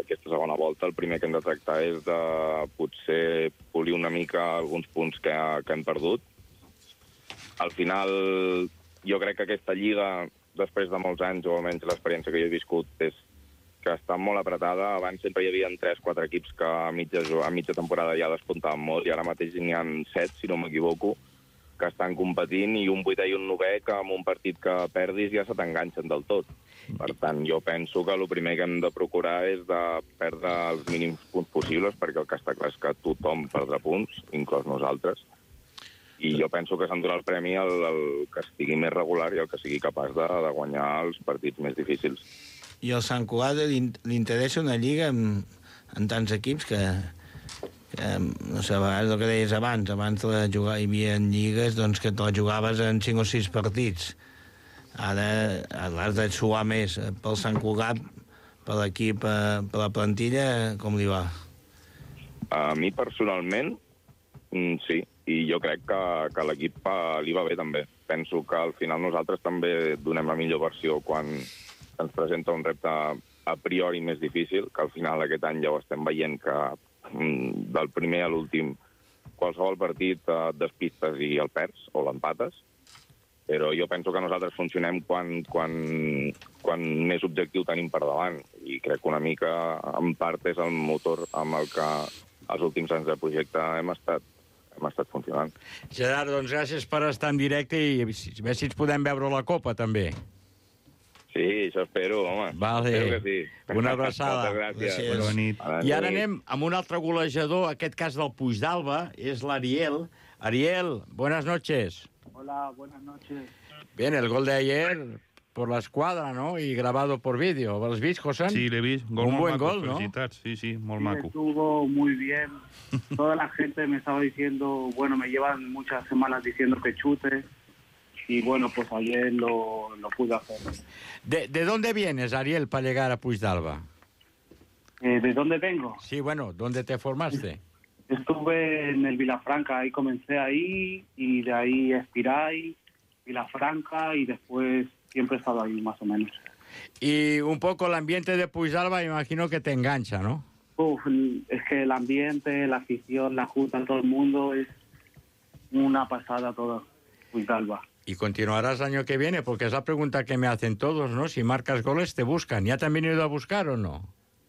aquesta segona volta, el primer que hem de tractar és de potser polir una mica alguns punts que, que hem perdut. Al final, jo crec que aquesta lliga, després de molts anys, o almenys l'experiència que jo he viscut, és que està molt apretada. Abans sempre hi havia tres quatre equips que a mitja, a mitja temporada ja despuntaven molt, i ara mateix n'hi ha set, si no m'equivoco, que estan competint, i un vuitè i un novè que amb un partit que perdis ja se t'enganxen del tot. Per tant, jo penso que el primer que hem de procurar és de perdre els mínims punts possibles, perquè el que està clar és que tothom perdrà punts, inclòs nosaltres, i jo penso que s'endurà el premi el, el que estigui més regular i el que sigui capaç de, de guanyar els partits més difícils.
I al Sant Cugat li, li interessa una lliga amb, amb tants equips que, que, no sé, a vegades el que deies abans, abans de jugar hi havia lligues doncs, que te la jugaves en cinc o sis partits. Ara l'has de suar més. Pel Sant Cugat, per l'equip, per, per la plantilla, com li va?
A mi, personalment, sí. I jo crec que, que l'equip li va bé, també. Penso que al final nosaltres també donem la millor versió quan ens presenta un repte a priori més difícil, que al final aquest any ja ho estem veient que del primer a l'últim qualsevol partit et despistes i el perds o l'empates, però jo penso que nosaltres funcionem quan, quan, quan més objectiu tenim per davant, i crec que una mica, en part, és el motor amb el que els últims anys de projecte hem estat, hem estat funcionant.
Gerard, doncs gràcies per estar en directe i a veure si ens podem veure la Copa, també.
Sí, això espero, home.
Vale.
Espero que sí.
Una abraçada.
Moltes gràcies.
Bona nit.
I ara anem amb un altre golejador, aquest cas del Puigdàlber, és l'Ariel. Ariel, buenas noches.
Hola, buenas noches.
Bien, el gol de ayer por la escuadra, ¿no? Y grabado por vídeo. ¿Lo has visto, José?
Sí, l'he vist. Gol
un
molt
buen
maco,
gol, ¿no?
felicitats. Sí, sí, molt
Sí,
maco.
estuvo muy bien. Toda la gente me estaba diciendo, bueno, me llevan muchas semanas diciendo que chute. Y bueno, pues ayer lo, lo pude hacer.
¿De, ¿De dónde vienes, Ariel, para llegar a Puigdàlber?
Eh, ¿De dónde vengo?
Sí, bueno, ¿dónde te formaste?
Estuve en el Vilafranca, ahí comencé ahí, y de ahí Espiray, Vilafranca, y después siempre he estado ahí, más o menos.
Y un poco el ambiente de Puigdàlber, imagino que te engancha, ¿no?
Uf, es que el ambiente, la afición, la junta, todo el mundo, es una pasada todo, Puigdàlber.
Y continuarás el año que viene, porque es la pregunta que me hacen todos, ¿no? Si marcas goles, ¿te buscan? ¿Ya te han venido a buscar o no?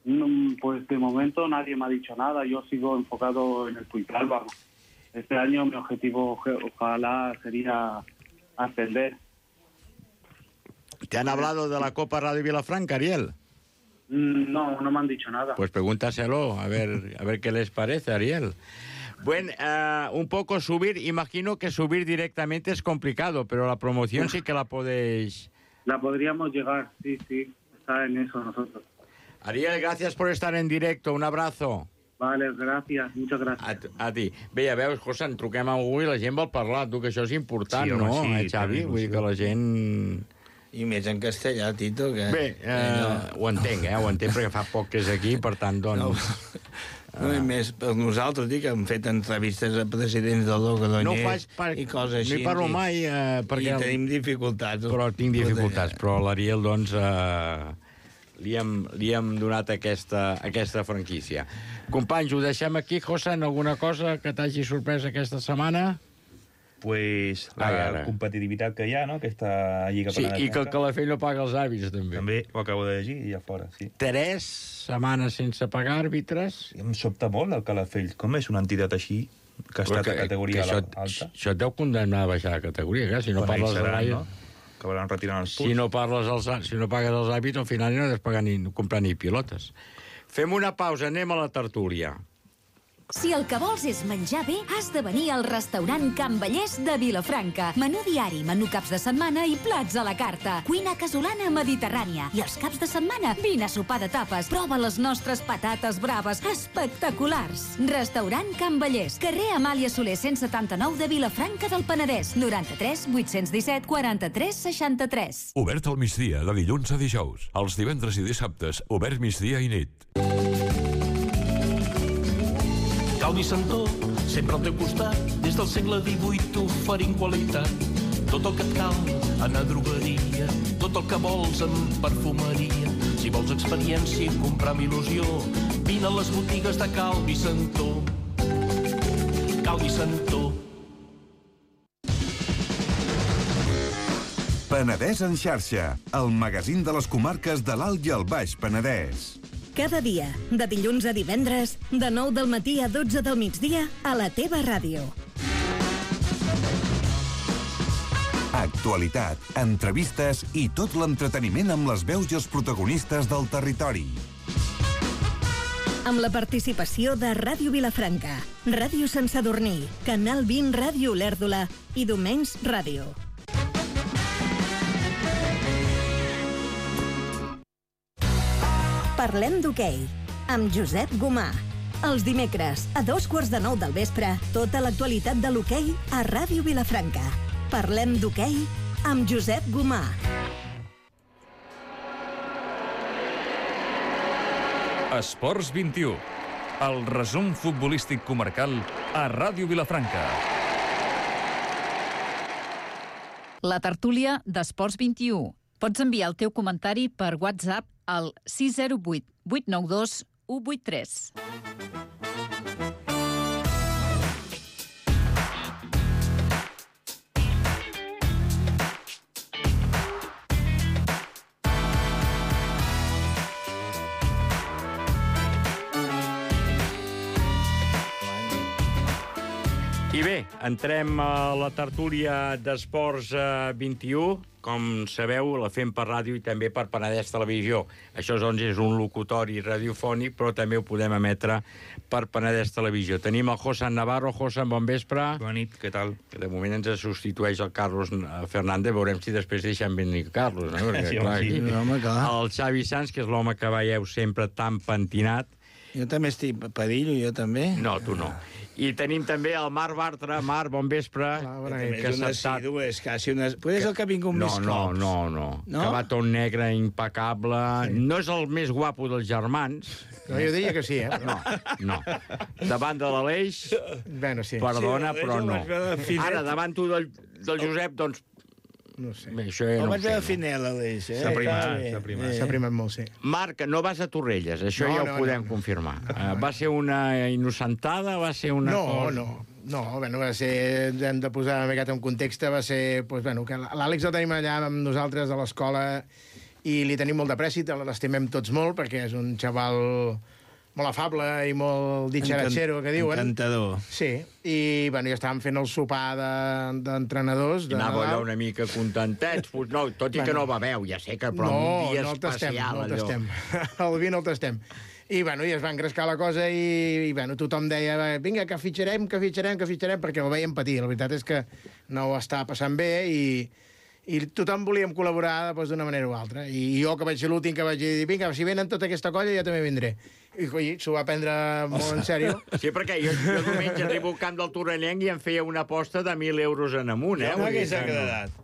No, pues de momento nadie me ha dicho nada. Yo sigo enfocado en el Puigdàlber. Este año mi objetivo, ojalá, sería ascender.
¿Te han hablado de la Copa Radio Vilafranca, Ariel?
No, no me han dicho nada.
Pues pregúntaselo, a ver, a ver qué les parece, Ariel. Bueno, uh, un poco subir, imagino que subir directamente es complicado, pero la promoción sí que la podéis...
La podríamos llegar, sí, sí, está en eso nosotros.
Ariel, gracias por estar en directo, un abrazo.
Vale, gràcies, muchas gràcies.
A, a ti. Bé, ja veus, José, en truquem a algú i la gent vol parlar, tu, que això és important,
Sí, home,
no,
sí,
eh, Xavi? Vull dir que la gent...
I més en castellà, Tito, que...
Bé, eh,
no.
ho entenc, eh, ho entenc, perquè fa poc que és aquí, per tant, doncs...
No. No, i més per nosaltres, dic, hem fet entrevistes a presidents del Logroñés
No ho faig per...
i coses així.
No hi parlo
i,
mai, eh, perquè...
I tenim dificultats.
Però tinc dificultats, però l'Ariel, doncs, eh, li, hem, li hem donat aquesta, aquesta franquícia. Companys, ho deixem aquí, José, en alguna cosa que t'hagi sorprès aquesta setmana?
Pues la
Ara.
competitivitat que hi ha, no?, aquesta lliga
Sí,
penedesa.
i que el Calafell no paga els àrbits, també.
També ho acabo de llegir i ja fora, sí.
Tres setmanes sense pagar àrbitres.
Em sobta molt el Calafell. Com és una entitat així, que ha estat a categoria
això,
alta?
Això et deu condemnar a baixar de categoria, clar, si no
Quan
parles
ells seran,
dels
no? Acabaran retirant els punts.
Si no, parles els, si no pagues els àrbits, al final no has de pagar ni comprar ni pilotes. Fem una pausa, anem a la tertúlia.
Si el que vols és menjar bé, has de venir al restaurant Can Vallès de Vilafranca. Menú diari, menú caps de setmana i plats a la carta. Cuina casolana mediterrània. I els caps de setmana, vine a sopar de tapes. Prova les nostres patates braves, espectaculars. Restaurant Can Vallès, carrer Amàlia Soler cent setanta-nou de Vilafranca del Penedès. noranta-tres vuit-cents disset quaranta-tres seixanta-tres.
Obert al migdia, de dilluns a dijous. Els divendres i dissabtes, obert migdia i nit.
Calvi Santó, sempre al teu costat, des del segle divuit t'oferim qualitat. Tot el que et cal en a drogueria, tot el que vols en perfumeria. Si vols experiència i comprar amb il·lusió, vine a les botigues de Calvi Santó. Calvi Santó.
Penedès en xarxa, el magazín de les comarques de l'Alt i el Baix Penedès.
Cada dia, de dilluns a divendres, de nou del matí a dotze del migdia, a la teva ràdio.
Actualitat, entrevistes i tot l'entreteniment amb les veus i els protagonistes del territori.
Amb la participació de Ràdio Vilafranca, Ràdio Sant Sadurní, Canal vint Ràdio Olèrdola i Domenys Ràdio. Parlem d'hoquei, amb Josep Gomà. Els dimecres, a dos quarts de nou del vespre, tota l'actualitat de l'hoquei a Ràdio Vilafranca. Parlem d'hoquei amb Josep Gomà.
Esports vint-i-u, el resum futbolístic comarcal a Ràdio Vilafranca.
La tertúlia d'Esports vint-i-u. Pots enviar el teu comentari per WhatsApp al sis zero vuit vuit nou dos u vuit tres.
I bé, entrem a la tertúlia d'Esports vint-i-u. Com sabeu, la fem per ràdio i també per Penedès Televisió. Això doncs és un locutori radiofònic, però també ho podem emetre per Penedès Televisió. Tenim el Josan Navarro. Josan, bon vespre.
Bona nit, què tal?
De moment ens substitueix el Carlos Fernández. Veurem si després deixem venir el Carlos. No? Perquè,
sí,
clar,
sí.
aquí,
Home, clar.
el Xavi Sanz, que és l'home que veieu sempre tan pentinat.
Jo també estic pedillo, jo també.
No, tu no. I tenim també el Marc Bartra. Marc, bon vespre.
Que és una assidu, és quasi una... Potser és el que ha vingut
no,
més
no,
cops.
No, no,
no.
Que va tot negre, impecable. Sí. No és el més guapo dels germans.
No, jo diria que sí, eh?
No, no. Davant de l'Aleix,
bueno, sí.
perdona,
sí,
però no. Ara, davant tu del, del Josep, doncs...
No sé.
Bé, això ja
el
no
vaig
sé,
veure
no.
Finel, Aleix, eh?
S'ha primat, s'ha primat. S'ha primat molt, sí.
Marc, no vas a Torrelles, això
no,
ja ho
no,
podem
no.
confirmar. Uh, va ser una innocentada, va ser una
no,
cosa...
No, no, no, bueno, va ser... Hem de posar una miqueta en context, va ser... Pues, bueno, que l'Àlex el tenim allà amb nosaltres a l'escola i li tenim molt de prèssit, l'estimem tots molt, perquè és un xaval molt afable i molt ditxaratxero, que diuen.
Encantador.
Sí, i bueno, ja estàvem fent el sopar d'entrenadors. De,
I anava allò una mica contentets, pues no, tot i bueno, que no beveu, ja sé que, però
no,
un dia
no el
especial,
tastem, no el
allò.
tastem. El vi no el tastem. I, bueno, i es va engrescar la cosa i, i bueno, tothom deia, vinga, que fitxarem, que fitxarem, que fitxarem, perquè el veiem patir. La veritat és que no ho està passant bé i, i tothom volíem col·laborar doncs, d'una manera o altra. I jo, que vaig ser l'últim, que vaig dir, vinga, si venen tota aquesta colla, jo també vindré. I coi, s'ho va prendre molt en sèrio.
Sí, perquè jo, jo diumenge arribo al camp del Torrellenc i em feia una aposta de mil euros en amunt, eh?
No m'hagués agradat.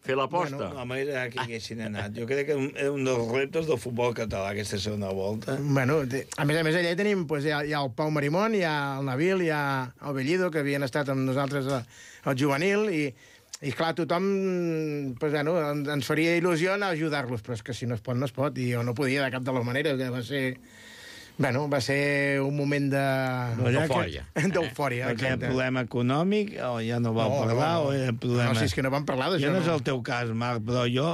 Fer l'aposta.
Bueno, no m'agrada que haguessin anat. Jo crec que és un dels reptes del futbol català, aquesta segona volta.
Bueno, a més a més, allà hi tenim, pues, hi, ha, hi ha el Pau Marimón, hi ha el Nabil, hi ha el Bellido, que havien estat amb nosaltres al juvenil, i, i clar, tothom pues, bueno, ens faria il·lusió anar a ajudar-los, però és que si no es pot, no es pot, i jo no podia de cap de les maneres, que va ser... Bueno, va ser un moment de...
D'eufòria.
D'eufòria,
exacte. Perquè el problema econòmic, o ja no vau
no,
parlar,
no, no.
o era problema...
No, si és que no vam parlar d'això.
Ja no és
no.
el teu cas, Marc, però jo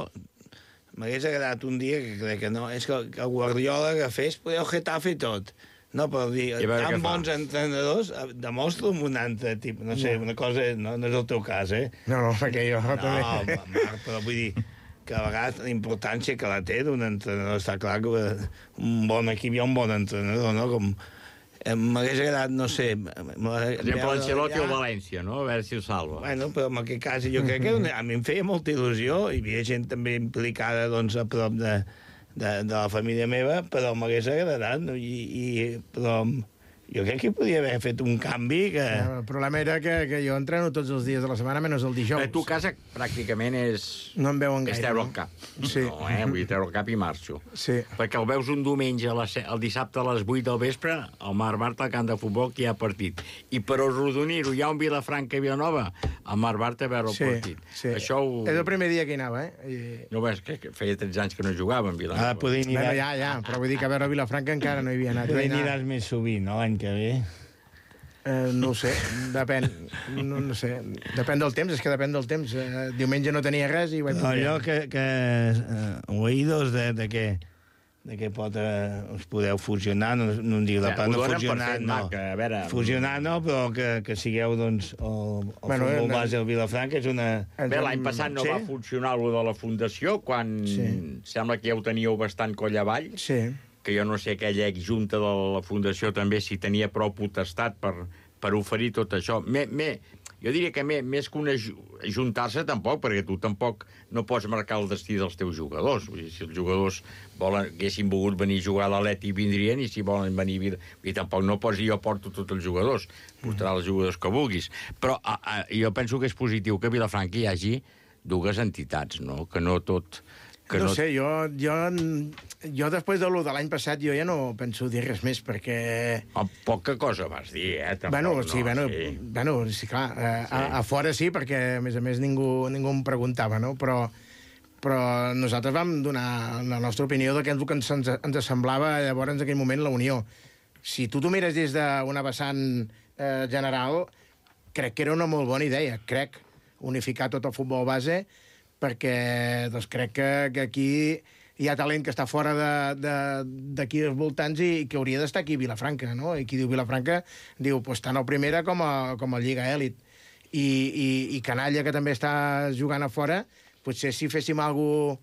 m'hagués agradat un dia, que crec que no, és que el Guardiola que fes, poder el Getafe i tot. No, però dir, tan bons entrenadors, demostra un altre tipus, no sé, una cosa, no, no és el teu cas, eh?
No, no, perquè jo
no,
també...
No, Marc, però vull dir... que a vegades la importància que la té d'un entrenador, està clar que un bon equip hi ha un bon entrenador, no? Com m'hagués agradat, no sé...
Per exemple, l'Ancelotti o València, no? A veure si ho salva.
Bueno, però en aquest cas jo crec que a mi em feia molta il·lusió, hi havia gent també implicada doncs, a prop de, de, de la família meva, però m'hagués agradat, no? I, i, però jo crec que podia haver fet un canvi que...
El problema era que, que jo entreno tots els dies de la setmana, menys el dijous.
A tu casa pràcticament és...
No em veuen gaire.
És treure el cap.
Sí.
No, eh? Vull dir, treure el cap i marxo.
Sí.
Perquè el veus un diumenge, a la, el dissabte a les vuit del vespre, al Marc Bartra, al camp de futbol, que hi ha partit. I per arrodonir-ho, hi ha un Vilafranca i Vilanova, al Marc Bartra a veure el
sí,
partit.
Sí.
Això ho...
És el primer dia que hi anava, eh? I...
No ves que feia tretze anys que no jugava en Vilanova.
Ah, poder
bueno, ja, ja, però vull dir que a veure Vilafranca encara no hi havia anat.
Poder aniràs més sovint, no?, l'any que ve.
Eh, no ho sé, depèn. No, no sé, depèn del temps, és que depèn del temps. Eh, diumenge no tenia res i vaig...
Allò que, que uh, oïdos de, de que de que pot, eh, us podeu fusionar, no, no em dic la part, no fusionar, no.
Mac, a veure...
Fusionar no, però que, que sigueu, doncs, el, el
bueno,
futbol
no,
base del Vilafranca és una...
Bé, l'any passat no sí? va funcionar allò de la Fundació, quan sí. sembla que ja ho teníeu bastant coll avall.
Sí.
Que jo no sé aquella junta de la Fundació també si tenia prou potestat per, per oferir tot això. Me, me, jo diria que me, més que una ajuntar-se tampoc, perquè tu tampoc no pots marcar el destí dels teus jugadors. Vull dir, si els jugadors volen, haguessin volgut venir a jugar a l'Atleti vindrien, i si volen venir... I tampoc no pots dir jo porto tots els jugadors, portarà els jugadors que vulguis. Però a, a, jo penso que és positiu que a Vilafranca hi hagi dues entitats, no? Que no tot... Que
no,
no
sé, jo, jo, jo després de lo de l'any passat jo ja no penso dir res més, perquè...
Oh, poca cosa vas dir, eh? Tampoc,
bueno, sí,
no,
bueno,
sí.
bueno, sí, clar, eh,
Sí.
a, a fora sí, perquè a més a més ningú, ningú em preguntava, no? Però, però nosaltres vam donar la nostra opinió de què és el que ens, ens, ens semblava llavors en aquell moment la Unió. Si tu t'ho mires des d'una vessant eh, general, crec que era una molt bona idea, crec, unificar tot el futbol base, perquè doncs, crec que, que aquí hi ha talent que està fora d'aquí dels voltants i que hauria d'estar aquí a Vilafranca, no? I qui diu Vilafranca diu pues, tant a primera com a, com a Lliga Èlit. I, i, I Canalla, que també està jugant a fora, potser si féssim alguna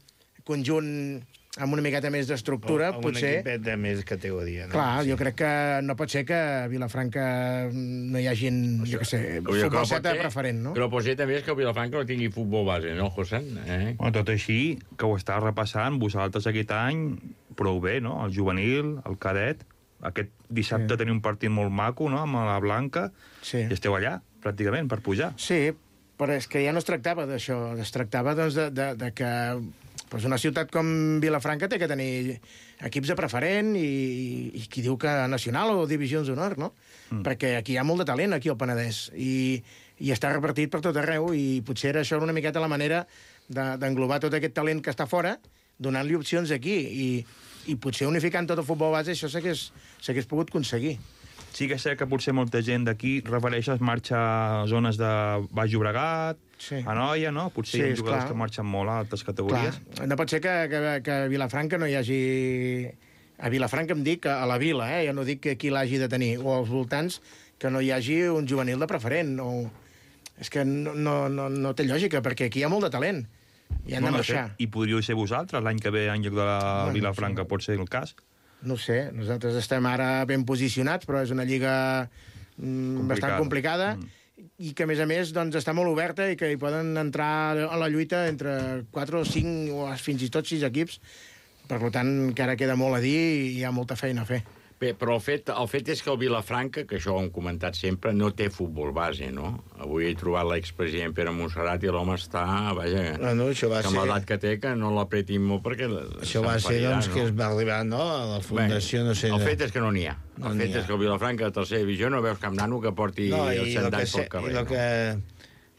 conjunt amb una miqueta més d'estructura,
amb
potser...
un equipet de més categoria. No?
Clar, sí. Jo crec que no pot ser que a Vilafranca no hi hagi, jo què sé, futbol seta preferent, no?
Que no pot ser també és que el Vilafranca no tingui futbol base, no, José? Eh?
Bueno, tot així, que ho està repassant vosaltres aquest any prou bé, no? El juvenil, el cadet. Aquest dissabte sí. Teniu un partit molt maco, no?, amb la Blanca.
Sí.
I esteu allà, pràcticament, per pujar.
Sí, però és que ja no es tractava d'això. Es tractava, doncs, de, de, de que pues una ciutat com Vilafranca té que tenir equips de preferent i, i qui diu que nacional o divisions d'honor, no? Mm. Perquè aquí hi ha molt de talent, aquí al Penedès, i, i està repartit per tot arreu, i potser era això una miqueta la manera d'englobar de, tot aquest talent que està fora, donant-li opcions aquí, i, i potser unificant tot el futbol base, això s'hagués pogut aconseguir.
Sí que sé que potser molta gent d'aquí refereix a marxa a zones de Baix Llobregat, sí. A Noia, no? Potser sí, hi ha jugadors que marxen molt a altres categories.
Clar. No pot ser que, que, que a Vilafranca no hi hagi... A Vilafranca em dic a la vila, eh? Ja no dic que qui l'hagi de tenir, o als voltants, que no hi hagi un juvenil de preferent. O... És que no, no, no, no té lògica, perquè aquí hi ha molt de talent. I han
no,
de marxar.
I podríeu ser vosaltres l'any que ve en lloc de la bueno, Vilafranca, sí. Pot ser el cas?
No sé, nosaltres estem ara ben posicionats, però és una lliga mm, complicada. bastant complicada mm. i que, a més a més, doncs, està molt oberta i que hi poden entrar a la lluita entre quatre o cinc o fins i tot sis equips. Per tant, que ara queda molt a dir i hi ha molta feina a fer.
Bé, però el fet, el fet és que el Vilafranca, que això ho hem comentat sempre, no té futbol base, no? Avui he trobat l'expresident Pere Montserrat i l'home està, vaja,
no, no, això va
que amb
ser...
l'edat que té, que no l'apretin molt perquè...
Això va ser, doncs, no? Que es va arribar, no?, a la fundació,
Bé,
no sé...
El fet és que no n'hi ha.
No
el fet és que el Vilafranca, de tercera divisió, no veus cap nano que porti
no,
el cent anys pel carrer.
I el que...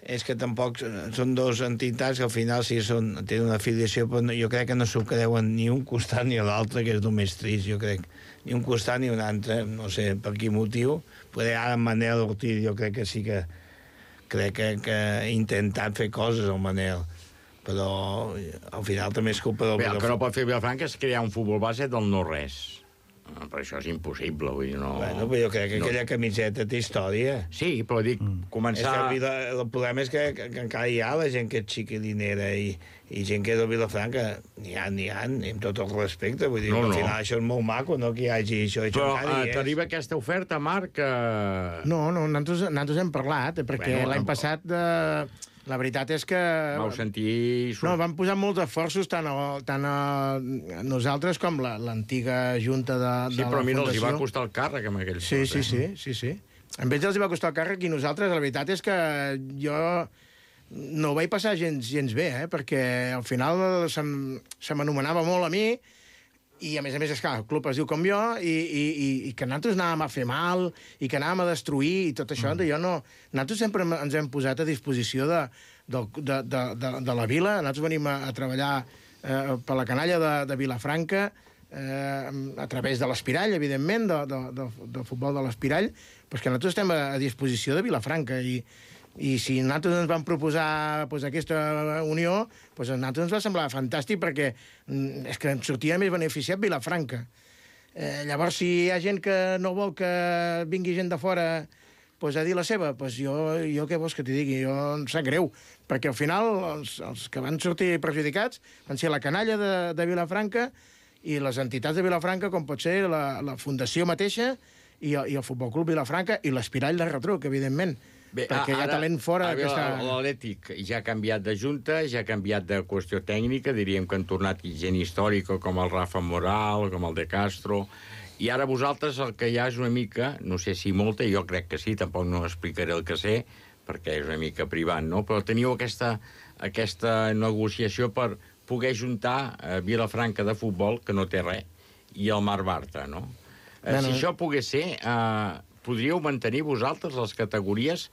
és que tampoc són dos entitats que al final sí són, tenen una afiliació, però jo crec que no s'ho creuen ni un costat ni l'altre, que és el més trist, jo crec. Ni un costat ni un altre, no sé per quin motiu. Però ara en Manel Ortiz jo crec que sí que crec que, que ha intentat fer coses el Manel, però al final també és culpa del...
Bé, el que no pot fer Vilafranca és crear un futbol base del no-res. Però això és impossible, vull dir, no...
Bueno, però jo crec que
no.
Aquella camiseta té història.
Sí, però dic, mm. començar...
És que el, el problema és que, que, que encara hi ha la gent que és xiquilinera i, i gent que és de Vilafranca. N'hi ha, n'hi ha, amb tot el respecte. Vull dir, no, al final no. Això és molt maco, no?, que hi hagi això. això
però uh, t'arriba aquesta oferta, Marc? Uh...
No, no, nosaltres, nosaltres hem parlat, perquè bueno, l'any passat... Uh... La veritat és que...
Vau sentir...
No, vam posar molts esforços tant a, tant a nosaltres com l'antiga junta de,
sí,
de la fundació.
Sí, però mira, els hi va costar el càrrec amb aquells.
Sí, sí, sí, sí, sí. A ells els hi va costar el càrrec i nosaltres, la veritat és que jo no ho vaig passar gens, gens bé, eh? Perquè al final se, se m'anomenava molt a mi i, a més a més, esclar, el club es diu com jo i, i, i, i que nosaltres anàvem a fer mal i que anàvem a destruir i tot això, mm. jo no... Nosaltres sempre ens hem posat a disposició de, de, de, de, de, de la vila. Nosaltres venim a, a treballar eh, per la canalla de, de Vilafranca eh, a través de l'Espirall, evidentment, de, de, de, de futbol de l'Espirall, però és que nosaltres estem a, a disposició de Vilafranca i, i si nosaltres ens vam proposar pues, aquesta unió, pues, a nosaltres ens va semblar fantàstic perquè mm, és que ens sortia més beneficiat Vilafranca. Eh, llavors, si hi ha gent que no vol que vingui gent de fora pues, a dir la seva, pues, jo, jo què vols que t'hi digui? Jo em sap greu, perquè al final els, els que van sortir perjudicats van ser la canalla de, de Vilafranca i les entitats de Vilafranca, com pot ser la, la fundació mateixa i, i el Futbol Club Vilafranca i l'Espirall de Retruc, evidentment. Bé, perquè ara, hi ha talent fora.
Ara, aquesta... L'Atlètic ja ha canviat de junta, ja ha canviat de qüestió tècnica, diríem que han tornat gent històrica com el Rafa Moral, com el De Castro, i ara vosaltres el que hi ha és una mica, no sé si molta, jo crec que sí, tampoc no explicaré el que sé, perquè és una mica privat, no? Però teniu aquesta, aquesta negociació per poder juntar eh, Vilafranca de futbol, que no té res, i el Mar Bartra, no? Eh,
Bueno.
Si això pogués ser, eh, podríeu mantenir vosaltres les categories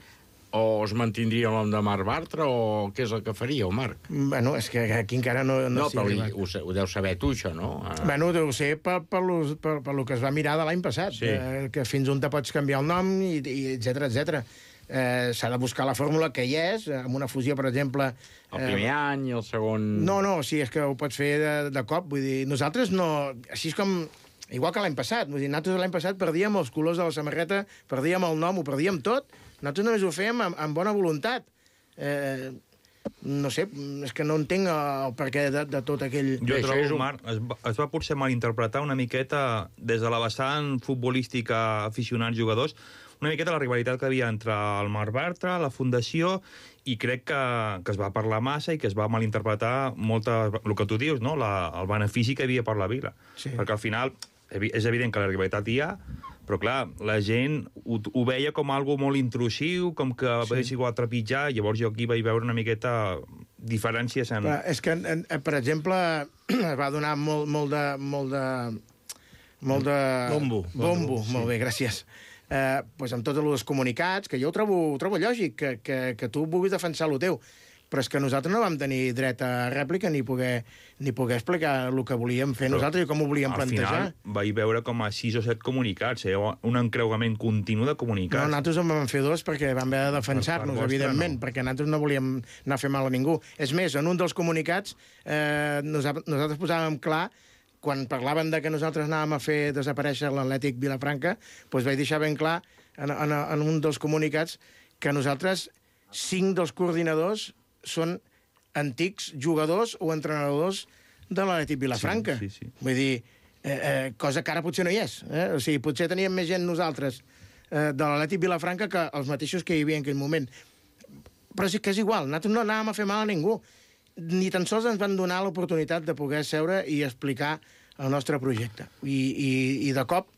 o es mantindria el nom de Mar Bartra o què és el que faríeu, Marc?
Bueno, és que aquí encara no...
No,
s'hi ha
però
arribat.
ho, ho deus saber tu, això, no? Eh,
Bueno, ho sé per, per, lo, per, per lo que es va mirar de l'any passat,
Sí.
eh, que fins on te pots canviar el nom, i, i etcètera, etcètera. Eh, S'ha de buscar la fórmula que hi és, eh, amb una fusió, per exemple...
el primer any i el segon...
No, no, sí, és que ho pots fer de, de cop. Vull dir, nosaltres no... Així és com... Igual que l'any passat. Vull dir, nosaltres l'any passat perdíem els colors de la samarreta, perdíem el nom, ho perdíem tot. Nosaltres només ho fèiem amb, amb bona voluntat. Eh, no sé, és que no entenc el perquè de, de tot aquell...
Jo trobo, un... Marc, es va, es va potser malinterpretar una miqueta des de la vessant futbolística aficionats-jugadors, una miqueta la rivalitat que havia entre el Mar Bartra, la Fundació, i crec que, que es va parlar massa i que es va malinterpretar molta, el que tu dius, no? la, el benefici que havia per la vila.
Sí.
Perquè al final és evident que la rivalitat hi ha, però clar, la gent ho, ho veia com algo molt intrusiu, com que sí. va igual trepitjar, llavors jo aquí vaig veure una miqueta diferències en...
Però és que, en, en, per exemple, es va donar molt, molt de... Molt de, molt de...
Bombo.
Bombo,
Bombo, sí.
molt bé, gràcies. Eh, pues amb tots els comunicats, que jo ho trobo, ho trobo lògic, que, que, que tu vulguis defensar el teu, però és que nosaltres no vam tenir dret a rèplica ni poder, ni poder explicar el que volíem fer
Però
nosaltres i com ho volíem
al
plantejar.
Al final vaig veure com a sis o set comunicats, eh? un encreuament continu de
No,
comunicats.
nosaltres en vam fer dos perquè vam haver de defensar-nos,
Per- per vostre,
evidentment,
no.
perquè nosaltres no volíem anar a fer mal a ningú. És més, en un dels comunicats eh, nosaltres, nosaltres posàvem clar, quan parlaven de que nosaltres anàvem a fer desaparèixer l'Atlètic Vilafranca, doncs vaig deixar ben clar en, en, en un dels comunicats que nosaltres, cinc dels coordinadors, són antics jugadors o entrenadors de l'Atlètic Vilafranca.
Sí, sí, sí.
Vull dir, eh, eh, cosa que ara potser no hi és. Eh? O sigui, potser teníem més gent nosaltres eh, de l'Atlètic Vilafranca que els mateixos que hi havia en aquell moment. Però sí que és igual, nosaltres no anàvem a fer mal a ningú. Ni tan sols ens van donar l'oportunitat de poder seure i explicar el nostre projecte. I, i, i de cop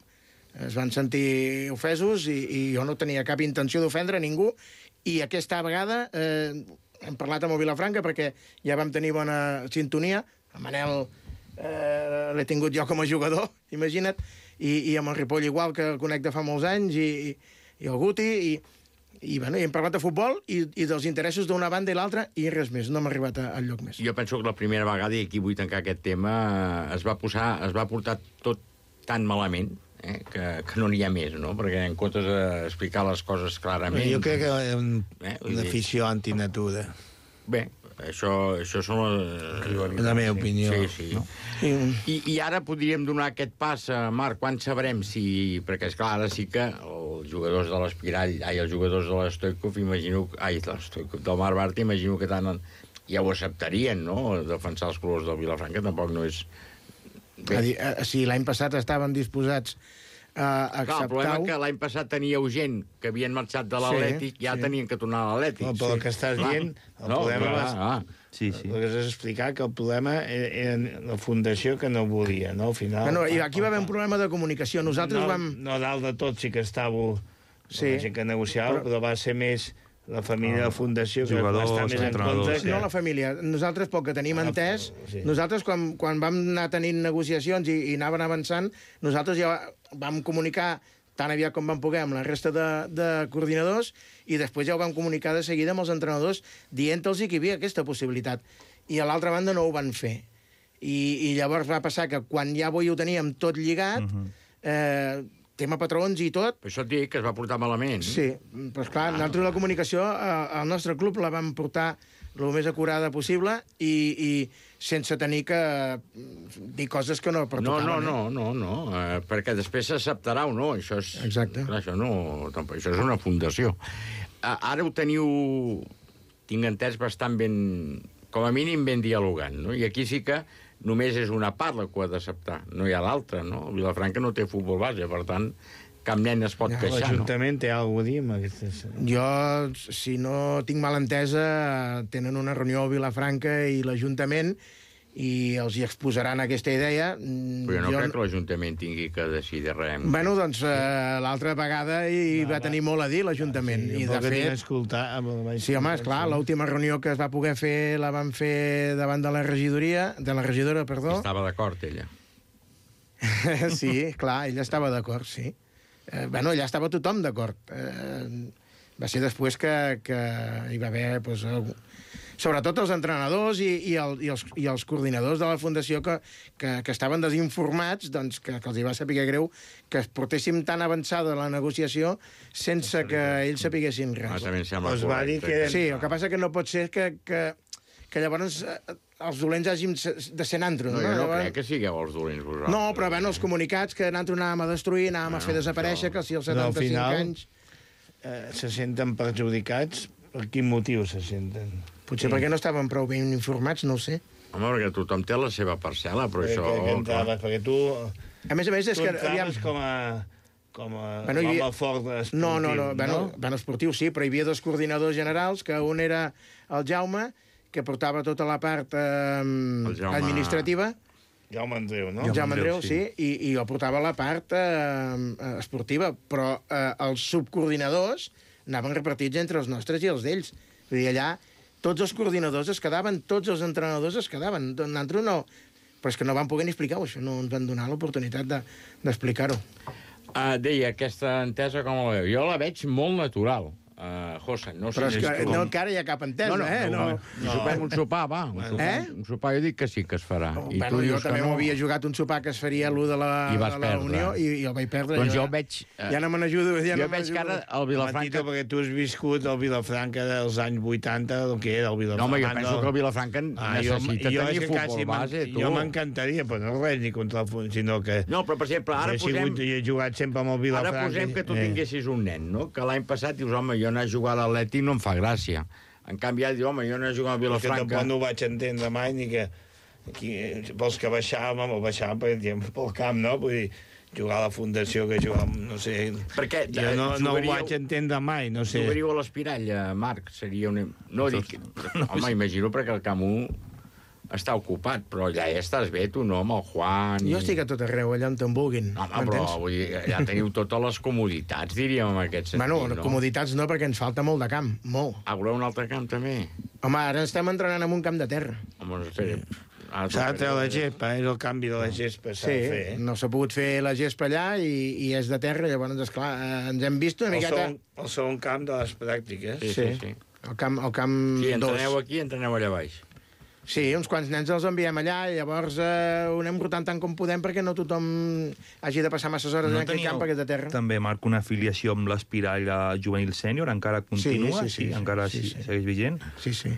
es van sentir ofesos i, i jo no tenia cap intenció d'ofendre ningú, i aquesta vegada eh, hem parlat amb el Vilafranca perquè ja vam tenir bona sintonia. El Manel eh, l'he tingut jo com a jugador, imagina't, i, i amb el Ripoll igual, que el conec de fa molts anys, i, i el Guti, i, i, bueno, i hem parlat de futbol i, i dels interessos d'una banda i l'altra, i res més, no hem arribat a, al lloc més.
Jo penso que la primera vegada, i aquí vull tancar aquest tema, eh, es va posar, es va portar tot tan malament, eh, que, que no n'hi ha més, no? Perquè en comptes d'explicar les coses clarament...
Jo crec que és un,
eh,
una afició antinatura.
Bé, això, això són les...
La meva opinió.
Sí, sí. No? I, I ara podríem donar aquest pas, a Marc, quan sabrem si... Perquè, esclar, ara sí que els jugadors de l'Espirall, ai, els jugadors de l'Stoikov, imagino... Ai, l'Stoikov, del Mar Bartra, imagino que tant ja ho acceptarien, no?, defensar els colors del Vilafranca, tampoc no és...
Bé. A dir, a, si l'any passat estaven disposats a acceptar...
Clar, el problema és que l'any passat teníeu gent que havien marxat de l'Atlètic, sí, ja sí. tenien que tornar a l'Atlètic.
No, però
sí.
el que estàs
clar.
dient, el
no,
problema...
Clar,
és,
ah.
Sí, sí.
El que has d'explicar que el problema era la fundació que no volia, no? Al final...
Bueno, i aquí va haver un problema de comunicació. Nosaltres
no,
vam...
No, dalt de tot sí que estàveu...
Sí.
La gent que negociava, però... però va ser més... La família de la Fundació, que
Jugadors,
va estar més en compte... Que...
No la família. Nosaltres, pel que tenim
Ah,
entès,
sí.
nosaltres, quan, quan vam anar tenint negociacions i, i anaven avançant, nosaltres ja vam comunicar tan aviat com vam poder amb la resta de, de coordinadors, i després ja ho vam comunicar de seguida amb els entrenadors, dient-los que hi havia aquesta possibilitat. I a l'altra banda no ho van fer. I, i llavors va passar que quan ja avui ho teníem tot lligat, uh-huh. eh, tema patrons i tot...
Per això et dic que es va portar malament.
Sí, però esclar, ah, nosaltres la comunicació al nostre club la vam portar el més acurada possible i, i sense tenir que dir coses que no pertocaven.
No, no, no, no, no, eh, perquè després s'acceptarà o no. Això és,
Exacte.
Clar, això, no, tampoc, això és una fundació. Uh, ara ho teniu, tinc entès, bastant ben, com a mínim ben dialogant, no? I aquí sí que només és una part la que ho ha d'acceptar, no hi ha l'altra, no? Vilafranca no té futbol base, per tant, cap nen es pot ja, queixar, no?
L'Ajuntament té alguna cosa a dir amb aquestes...
Jo, si no tinc mal entesa, tenen una reunió a Vilafranca i l'Ajuntament, i els hi exposaran aquesta idea.
Però jo no jo... crec que l'Ajuntament tingui que decidir res.
Bueno, doncs eh, l'altra vegada hi va, va tenir molt a dir l'Ajuntament.
Sí,
I de fet...
escoltar...
Sí, home, esclar, l'última reunió que es va poder fer la van fer davant de la regidoria, de la regidora, perdó.
Estava d'acord, ella.
Sí, clar, ella estava d'acord, sí. Eh, bueno, allà estava tothom d'acord. Eh, va ser després que, que hi va haver... Pues, algú... sobretot els entrenadors i, i, el, i, els, i els coordinadors de la Fundació que, que, que estaven desinformats, doncs que, que els hi va saber greu que es portéssim tan avançada la negociació sense que ells sapiguessin res.
Ah, també em sembla
Pues va dir que... Sí, el que passa que no pot ser que, que, que llavors eh, els dolents hàgim de ser nantro.
No,
no?
jo no
llavors...
crec que sigueu els dolents vosaltres.
No, però bueno, els comunicats que nantro anàvem a destruir, anàvem bueno, a fer desaparèixer, això... que si els setanta-cinc
no, al final,
anys...
Eh, se senten perjudicats. Per quin motiu se senten?
Potser sí. perquè no estaven prou ben informats, no ho sé.
Home, perquè tothom té la seva parcel·la, però
perquè,
això...
Que entraves, perquè tu...
A més a més, és
tu
que...
entraves com a... com a
bueno,
home
havia...
fort esportiu,
no? No, no, bueno,
no?
bueno, esportiu sí, però hi havia dos coordinadors generals, que un era el Jaume, que portava tota la part eh, Jaume... administrativa.
Jaume Andreu, no?
El Jaume Andreu, sí, sí i, i jo portava la part eh, esportiva, però eh, els subcoordinadors anaven repartits entre els nostres i els d'ells. Vull dir, allà tots els coordinadors es quedaven, tots els entrenadors es quedaven. Nosaltres no... Però és que no van poder ni explicar-ho, això. No ens van donar l'oportunitat d'explicar-ho. De,
uh, deia, aquesta entesa com la veu? Jo la veig molt natural. Uh, José, no sé...
Però és que
com...
no, encara hi ha cap entesa,
no, no,
eh? No,
no. no. Sopem un sopar, va. Un sopar,
eh?
un sopar jo dic que sí que es farà.
Oh,
I
bueno,
tu
jo
dius
també
que no.
m'havia jugat un sopar que es faria l'u de la,
I vas
de la
perdre.
Unió i, i el vaig perdre.
Doncs
jo,
jo veig... Uh,
ja no me n'ajudo. Ja
jo
no
veig que ara el Vilafranca...
Matito, perquè tu has viscut el Vilafranca dels anys vuitanta, el que era el Vilafranca.
No, home, jo penso que el Vilafranca
ah,
necessita
jo,
tenir
jo
futbol base, tu.
Jo m'encantaria, però no res ni contra el... sinó que...
No, però, per exemple, ara
he
posem...
Sigut, he jugat sempre amb el Vilafranca.
Ara posem que tu
eh.
tinguessis un nen, no? Que l'any passat dius, home, jo anar a jugar a l'Atlètic no em fa gràcia. En canvi, ja diu, home, jo anar a jugar al Vilafranca...
Que tampoc no ho vaig entendre mai, ni que... Aquí, vols que baixàvem, o baixàvem per exemple, pel camp, no? Vull dir, jugar a la Fundació, que jugàvem, no sé...
Perquè
jo no, no ho vaig entendre mai, no sé...
Jugaríeu a l'Espirall, Marc, seria una... No, dic... Home, imagino perquè el camp u està ocupat, però allà ja estàs bé, tu, no, amb el Juan...
Jo estic a tot arreu, allà on te'n vulguin.
Home, però vull dir, ja teniu totes les comoditats, diríem, en aquest sentit,
bueno,
no?
Comoditats no, perquè ens falta molt de camp, molt.
Ah, voleu un altre camp, també?
Home, ara estem entrenant en un camp de terra.
Home, espera...
S'ha de treure la gespa, és el canvi de la gespa, s'ha
sí,
de fer.
no s'ha pogut fer la gespa allà i, i és de terra, llavors, esclar, ens hem vist una
el
miqueta...
Segon, el segon camp de les pràctiques.
Sí, sí, sí.
El camp, el camp
sí, entreneu
dos.
aquí, entreneu allà baix.
Sí, uns quants nens els enviem allà i llavors eh, ho anem rotant tant com podem perquè no tothom hagi de passar masses hores no en aquell camp perquè és de terra.
També, Marc, una afiliació amb l'Espirall juvenil sènior, encara continua?
Sí, sí, sí.
sí encara
sí, sí.
segueix vigent?
Sí, sí.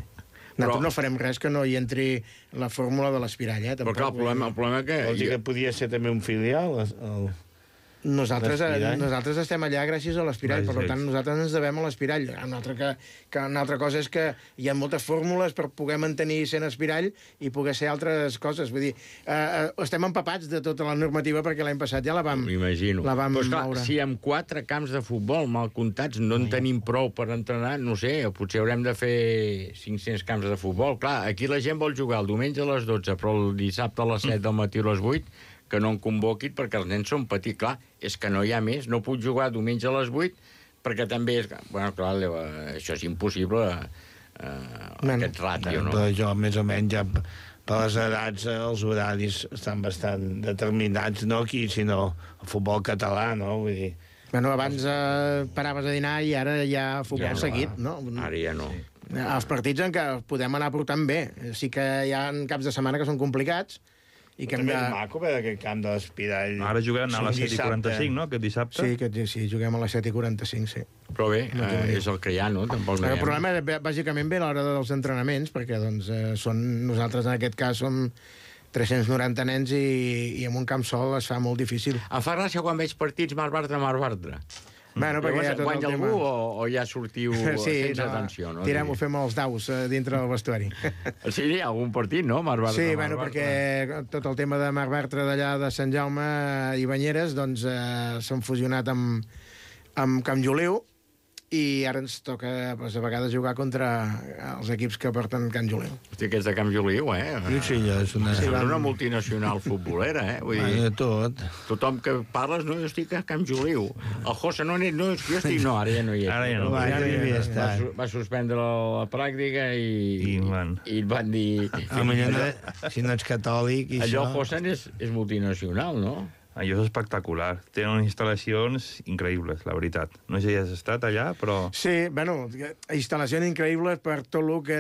Nosaltres Però... no farem res que no hi entri la fórmula de l'Espirall, eh?
Però clar, el problema, el problema que...
Vols dir que podia ser també un filial? El...
Nosaltres, nosaltres estem allà gràcies a l'Espirall, per tant, nosaltres ens devem a l'Espirall. Una altra, que, que una altra cosa és que hi ha moltes fórmules per poder mantenir sent Espirall i poder ser altres coses. Vull dir, eh, estem empapats de tota la normativa perquè l'any passat ja la vam, la vam
Però, esclar,
moure.
si amb quatre camps de futbol mal comptats no en tenim prou per entrenar, no sé, potser haurem de fer cinc-cents camps de futbol. Clar, aquí la gent vol jugar el diumenge a les dotze, però el dissabte a les set del matí a les vuit que no en convoquin perquè els nens són petits. Clar, és que no hi ha més. No puc jugar diumenge a les vuit perquè també és... Bueno, clar, això és impossible, eh, aquest ràtio, no?
Però jo, més o menys, ja per les edats, els horaris estan bastant determinats, no aquí, sinó el futbol català, no? Vull dir...
Bueno, abans eh, paraves a dinar i ara hi ha futbol
ja no
seguit, no?
Ara ja no.
Els partits en què podem anar portant bé. Sí que hi ha caps de setmana que són complicats, i que
també
hem de...
és maco veure aquest camp de l'Espirall.
Ara jugaran a les set i quaranta-cinc, no?, aquest dissabte.
Sí, aquest, sí, juguem a les set i quaranta-cinc, sí.
Però bé, no eh, és el que hi ha, no? Tampoc no
el problema, bàsicament, ve a l'hora dels entrenaments, perquè doncs, eh, són, nosaltres, en aquest cas, som tres-cents noranta nens i, i en un camp sol es fa molt difícil.
Em fa gràcia quan veig partits Mar Bartra, Mar Bartra.
Bueno, perquè hi ha tot
guanya
el tema...
algú o, o ja sortiu
sí,
sense
no,
atenció, no?
Tirem, ho fem els daus eh, dintre del vestuari.
Sí, hi ha algun partit, no? Mar Bartra,
sí,
Mar
bueno,
Bartra.
perquè tot el tema de Mar Bartra d'allà de Sant Jaume i Banyeres doncs eh, s'han fusionat amb, amb Camp Joliu i ara ens toca doncs, a vegades jugar contra els equips que porten Can Juliu.
Hosti, que és de Camp Juliu, eh?
Sí, sí, és una...
Sí, és una multinacional futbolera, eh? Vull dir,
de tot.
Tothom que parles, no, jo estic a Camp Juliu. El José, no, no, jo estic... No, ara ja no hi és.
Ara ja no.
Va, ja no hi havia
Va,
estat.
su- va suspendre la pràctica i...
I van.
I et van dir...
A millor no, si no ets catòlic i
Allò,
això...
José, és, és multinacional, no?
Allò és espectacular. Tenen unes instal·lacions increïbles, la veritat. No sé si has estat allà, però...
Sí, bueno, instal·lacions increïbles per tot el que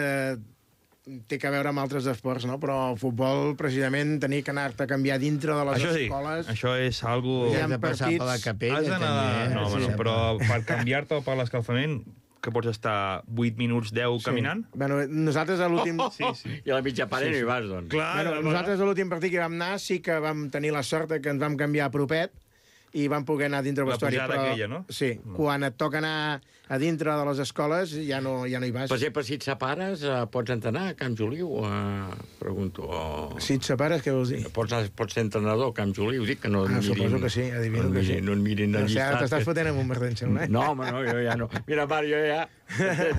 té que veure amb altres esports, no? Però el futbol, precisament, tenir que anar-te a canviar dintre de les
Això sí,
escoles...
això és algo...
Hi ha
Has de passar per la
partits-
capella,
Has d'anar...
també. eh?
No,
Sí,
bueno,
sí.
però per canviar-te o per l'escalfament, que pots estar vuit minuts, deu
Sí.
caminant?
Bueno, nosaltres a l'últim...
Sí, sí.
I a la mitja part
Sí,
no
sí.
hi vas, doncs.
Clar,
Bueno, nosaltres a l'últim partit que vam anar sí que vam tenir la sort que ens vam canviar a propet i vam poder anar dintre del
La
vestuari.
pujada aquella, no?
Sí, quan et toca anar a dintre de les escoles ja no, ja no hi vas.
Per exemple, si et separes, eh, pots entrenar a Camp Juliu? Eh, pregunto. O...
Si et separes, què vols dir?
Pots, pots ser entrenador a Camp Juliu? Dic que no et
Ah,
mirin...
suposo que sí, adivino
no et
que sí.
mirin, No et mirin
No
el
sé, ara
llistat.
t'estàs fotent amb un merder, em sembla, eh?
No, home, no, jo ja no. Mira, Marc, jo ja...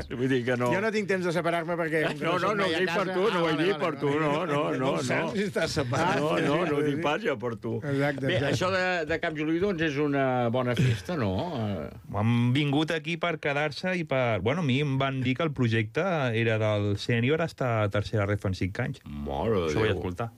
Vull dir que no...
Jo no tinc temps de separar-me perquè... com que
No, no,
soc
no,
mai
ho
a
dic per
casa-
tu, no ho he
Ah,
dit
vale,
per
vale,
tu,
vale.
no, no, no,
Com saps
no.
si estàs separat?
No, no, no ho
sí,
dic
sí.
pas jo per tu.
Exacte,
Bé,
exacte.
això de, de Camp Juliu, doncs, és una bona festa, no? Eh,
Han vingut aquí per quedar-se i per... Bueno, a mi em van dir que el projecte era del sènior hasta tercera ref en cinc anys.
Mare de
Això vaig
Déu.
escoltar.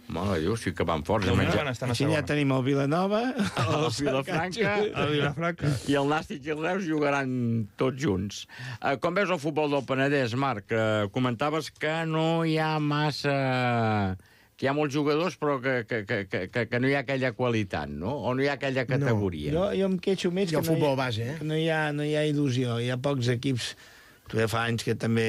Mare de Déu, sí que van forts.
De
a
moment
menjar.
van estar a
Així ja
segona.
tenim el Vilanova,
El Vilafranca
El Vilafranca.
i el Nàstic i el Reus jugaran tots junts. Eh, com veus el futbol del Penedès, Marc? Eh, comentaves que no hi ha massa... que hi ha molts jugadors, però que, que, que, que, que no hi ha aquella qualitat, no? O no hi ha aquella categoria.
Jo, jo em queixo més
I el
que no,
futbol
hi,
base, eh?
que no, hi ha, no hi ha il·lusió. Hi ha pocs equips. Tu ja fa anys que també...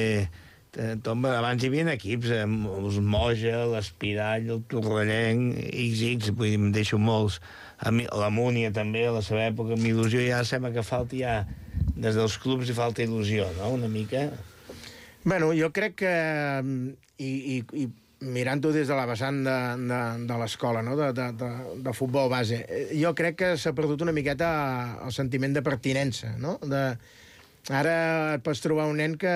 eh, Tomba, abans hi havia equips, eh, els Moja, l'Espirall, el Torrellenc, ics ics, vull dir, em deixo molts. A mi, la Múnia també, a la seva època, amb il·lusió, ja sembla que falta ja... Des dels clubs hi falta il·lusió, no?, una mica.
Bueno, jo crec que... I, i, i mirant-ho des de la vessant de, de, de l'escola, no? de, de, de, de futbol base, eh, jo crec que s'ha perdut una miqueta el sentiment de pertinença, no? De, ara et pots trobar un nen que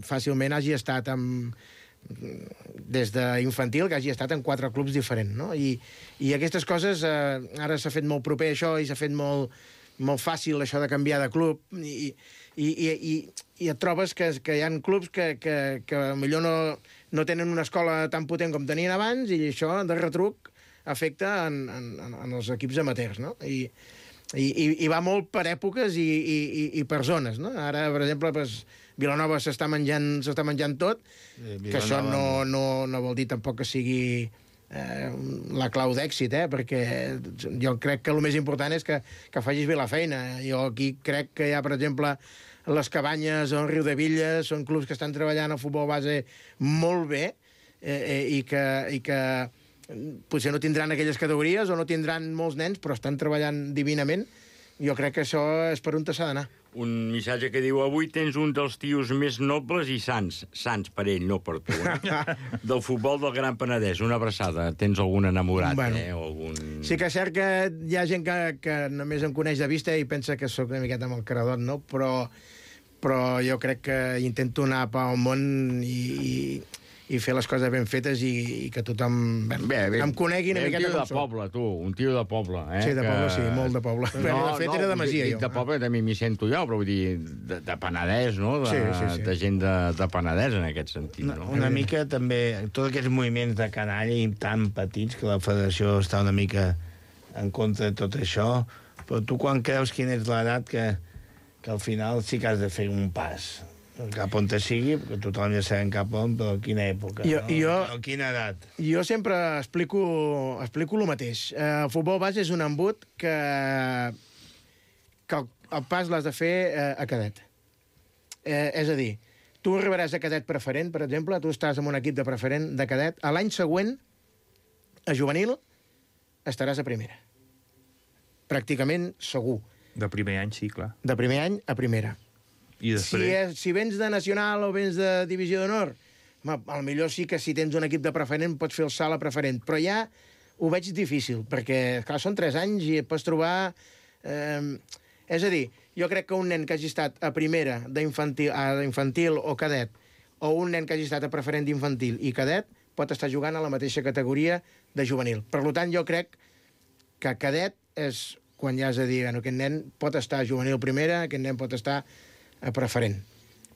fàcilment hagi estat amb, des d'infantil, que hagi estat en quatre clubs diferents, no? I, i aquestes coses, eh, ara s'ha fet molt proper això i s'ha fet molt, molt fàcil això de canviar de club i, i, i, i, i et trobes que, que hi ha clubs que, que, que millor no, no tenen una escola tan potent com tenien abans i això de retruc afecta en, en, en els equips amateurs, no? I, i, i, i va molt per èpoques i, i, i, i per zones, no? Ara, per exemple, pues, Vilanova s'està menjant, s'està menjant tot,
Eh,
que això no, no, no vol dir tampoc que sigui eh, la clau d'èxit, eh? Perquè jo crec que el més important és que, que facis bé la feina. Jo aquí crec que hi ha, per exemple, les Cabanyes o el Riu de Villa, són clubs que estan treballant al futbol base molt bé eh, eh, i que, i que potser no tindran aquelles categories o no tindran molts nens, però estan treballant divinament. Jo crec que això és per on s'ha d'anar.
Un missatge que diu: avui tens un dels tios més nobles i sants, sants per ell, no per tu, eh? del futbol del Gran Penedès. Una abraçada. Tens algun enamorat,
Bueno.
eh? O algun...
Sí que és cert que hi ha gent que, que només em coneix de vista i pensa que sóc una miqueta amb el caradot, no? Però, però jo crec que intento anar pel món i, i, i fer les coses ben fetes i, i que tothom bé,
Bé, bé,
em conegui una
bé,
miqueta
un tio
com
de
soc.
poble, tu, un tio de poble, eh?
Sí, de
que...
poble, sí, molt de poble. No, de fet, era de Masia,
dic,
jo.
Dic de poble, també m'hi sento jo, però vull dir, de, de Penedès, no? De,
Sí, sí, sí.
de gent de, de Penedès, en aquest sentit,
Una,
no?
una mica també, tots aquests moviments de canalla i tan petits que la federació està una mica en contra de tot això, però tu quan creus quina és l'edat que, que al final sí que has de fer un pas cap on te sigui, perquè tothom ja sabem cap on, però a quina època,
Jo-
no?
jo-
A quina edat?
Jo sempre explico, explico el mateix. Eh, el futbol base és un embut que, que el, el pas l'has de fer eh, a cadet. Eh, és a dir, tu arribaràs a cadet preferent, per exemple, tu estàs en un equip de preferent de cadet, a l'any següent, a juvenil, estaràs a primera. Pràcticament segur.
De primer any, sí, clar.
De primer any a primera.
I després...
Si, és, si vens de nacional o vens de divisió d'honor, al millor sí que si tens un equip de preferent pots fer el salt a preferent, però ja ho veig difícil, perquè, clar, són tres anys i et pots trobar... Eh, És a dir, jo crec que un nen que hagi estat a primera d'infantil a infantil o cadet, o un nen que hagi estat a preferent d'infantil i cadet, pot estar jugant a la mateixa categoria de juvenil. Per tant, jo crec que cadet és quan ja has de dir, bueno, aquest nen pot estar a juvenil primera, aquest nen pot estar a preferent.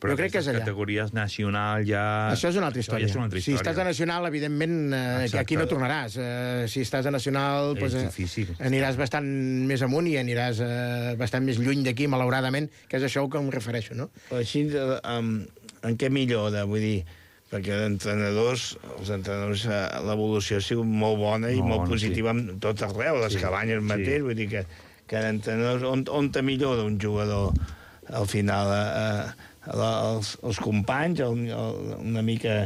Però
jo crec que és allà.
categories nacional ja...
Això és una altra història.
Ja és una altra història.
Si estàs a nacional, evidentment, eh, aquí no tornaràs. Eh, si estàs a nacional,
És
pues, eh,
difícil.
aniràs bastant més amunt i aniràs eh, bastant més lluny d'aquí, malauradament, que és això que em refereixo, no?
Però així, eh, en, en què millora? Vull dir, perquè d'entrenadors, els entrenadors, eh, l'evolució ha sigut molt bona i
Molt
molt
bona,
positiva sí. en tot arreu, les
Sí,
cabanyes
sí.
mateix, vull dir que, que d'entrenadors, on, on te millora un jugador al final? Eh, els, els companys, el, el, una mica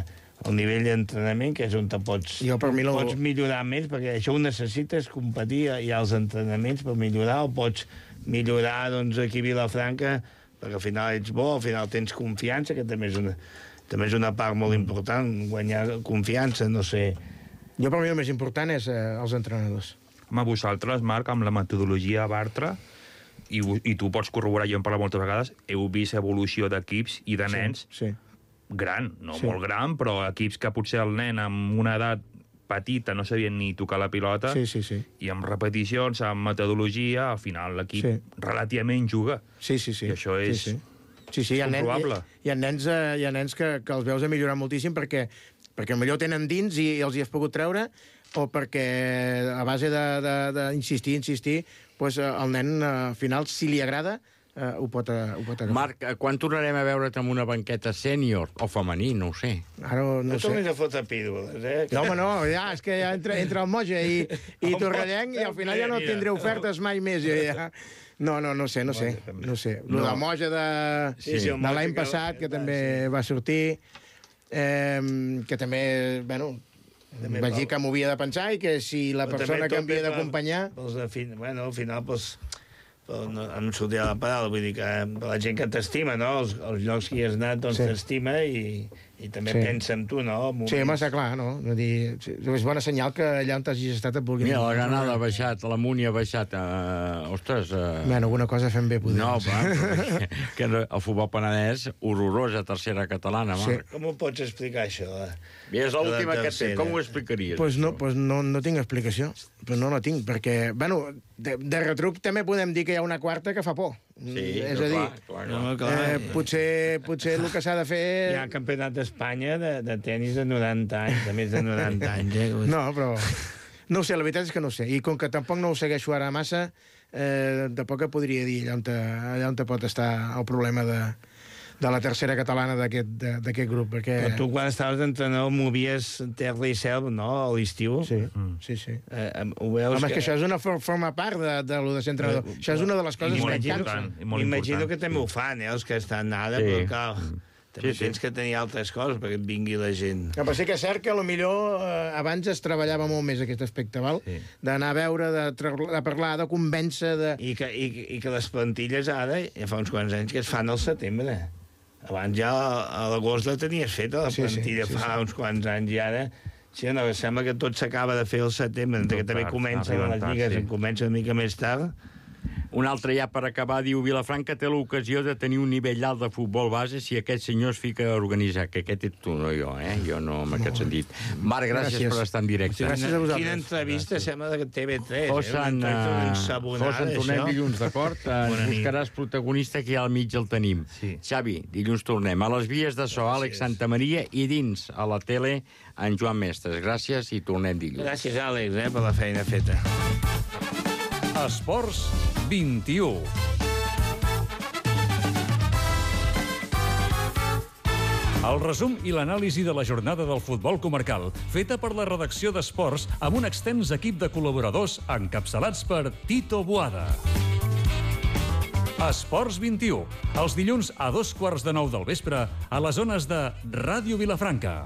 el nivell d'entrenament, que és on te pots,
jo, per mi, no...
pots millorar més, perquè això ho necessites, competir, hi ha els entrenaments per millorar, o pots millorar doncs, aquí a Vilafranca, perquè al final ets bo, al final tens confiança, que també és una, també és una part molt important, guanyar confiança, no sé.
Jo, per mi, el més important és eh, els entrenadors.
Home, vosaltres, Marc, amb la metodologia Bartra, i, i tu pots corroborar, jo em parlo moltes vegades, heu vist evolució d'equips i de nens
sí, sí.
gran, no
Sí.
molt gran, però equips que potser el nen amb una edat petita no sabien ni tocar la pilota,
Sí, sí, sí.
i amb repeticions, amb metodologia, al final l'equip
Sí.
relativament juga.
Sí, sí, sí.
I això és
sí, sí. Sí, sí, hi ha, nen,
comprovable.
hi, hi ha nens, eh, hi ha nens que, que els veus a millorar moltíssim perquè, perquè millor tenen dins i, i els hi has pogut treure, o perquè a base d'insistir, insistir, pues, el nen, al final, si li agrada, eh, ho, pot, ho pot agafar.
Marc, quan tornarem a veure't amb una banqueta sènior o femení, no ho sé.
Ara no,
No
no sé.
tornis a fotre pídoles, eh?
No, home, no, ja, és que ja entre, entre el Moja i, i Torrellenc, i al final ja no tindré ofertes mai més. Jo ja... No, no, no sé, no sé. No sé. Lo de Moja de,
Sí, sí, el
de
Moja
l'any
que-
passat, que també va sortir, eh, que també, bueno,
També
vaig
val.
dir que m'ho havia de pensar i que si la
Però
persona
també
que
tot
em havia
ve per-
d'acompanyar...
pels de fin... Bueno, al final, pues, però no, no em sortia la paraula, vull dir que la gent que t'estima, no? Els, els llocs que hi has anat, doncs
Sí.
t'estima i, i també
Sí.
pensa en tu, no? Moments.
Sí, home, està clar, no? no dir, sí, és bona senyal que allà on hagis estat et vulguin...
Mira, la Granada ha baixat, la Múnia ha baixat. Uh, ostres... Uh...
Bueno, alguna cosa fem bé, podem.
No, va, però que, que no- el futbol penedès, horrorosa tercera catalana, Marc.
Com ho pots explicar, això? La,
I és l'última
la
que et té,
tercera?
com ho explicaries?
Pues no, pues no, no tinc explicació. Però no la tinc, perquè, bueno, de, de retruc també podem dir que hi ha una quarta que fa por.
Sí,
és
però
a dir,
clar, clar, clar.
No, clar.
eh, potser, potser el que s'ha de fer...
Hi ha campionat d'Espanya de, de tennis de noranta anys, de més de noranta anys, eh?
No, però... No ho sé, la veritat és que no ho sé. I com que tampoc no ho segueixo ara massa, eh, tampoc et podria dir allà on, te, allà on te pot estar el problema de, de la tercera catalana d'aquest de- d'aquest grup, perquè...
Però tu, quan estaves d'entrenador, movies terra i cel, no?, a l'estiu.
Sí, sí, sí.
Eh, eh, ho veus
Home, és que això és una for forma part de, de lo de ser entrenador.
Eh,
Això és una de les coses que et
M'imagino-
cansa.
M'imagino que també ho fan, eh, els que estan ara,
Sí.
però clar, també
Sí, sí.
tens que tenir altres coses perquè et vingui la gent.
No, però sí que és cert que potser eh, abans es treballava molt més aquest aspecte, val? Sí. D'anar a veure, de, tra- de parlar, de convèncer... De...
I que, i, I que les plantilles ara, ja fa uns quants anys que es fan al setembre. Abans ja a l'agost la tenies feta, la
Sí, sí,
plantilla,
sí,
fa
sí.
uns quants anys, i ara... Sí, no, sembla que tot s'acaba de fer al setembre,
Tot
que també
tard,
comencen
arriben
les
tard,
lligues,
sí.
sí. comença una mica més tard.
Un altre ja per acabar, diu Vilafranca té l'ocasió de tenir un nivell alt de futbol base si aquest senyor es fica a organitzar, que aquest ets tu, no jo, eh? Jo no, en aquest sentit. Marc, gràcies,
Gràcies.
per estar en directe.
Gràcies a vosaltres. Quina entrevista, sembla de T V tres.
Fosen,
eh? Una
uh,
ensabonada,
Fosen, tornem
això.
dilluns, d'acord? Ens
Bona nit.
buscaràs protagonista, que ja al mig el tenim. Sí. Xavi, dilluns tornem. A les vies de so, Àlex Santamaria, i dins, a la tele, en Joan Mestres. Gràcies i tornem dilluns.
Gràcies, Àlex, eh, per la feina feta.
Esports vint-i-u. El resum i l'anàlisi de la jornada del futbol comarcal, feta per la redacció d'Esports amb un extens equip de col·laboradors encapçalats per Tito Boada. Esports vint-i-u, els dilluns a dos quarts de nou del vespre a les zones de Ràdio Vilafranca.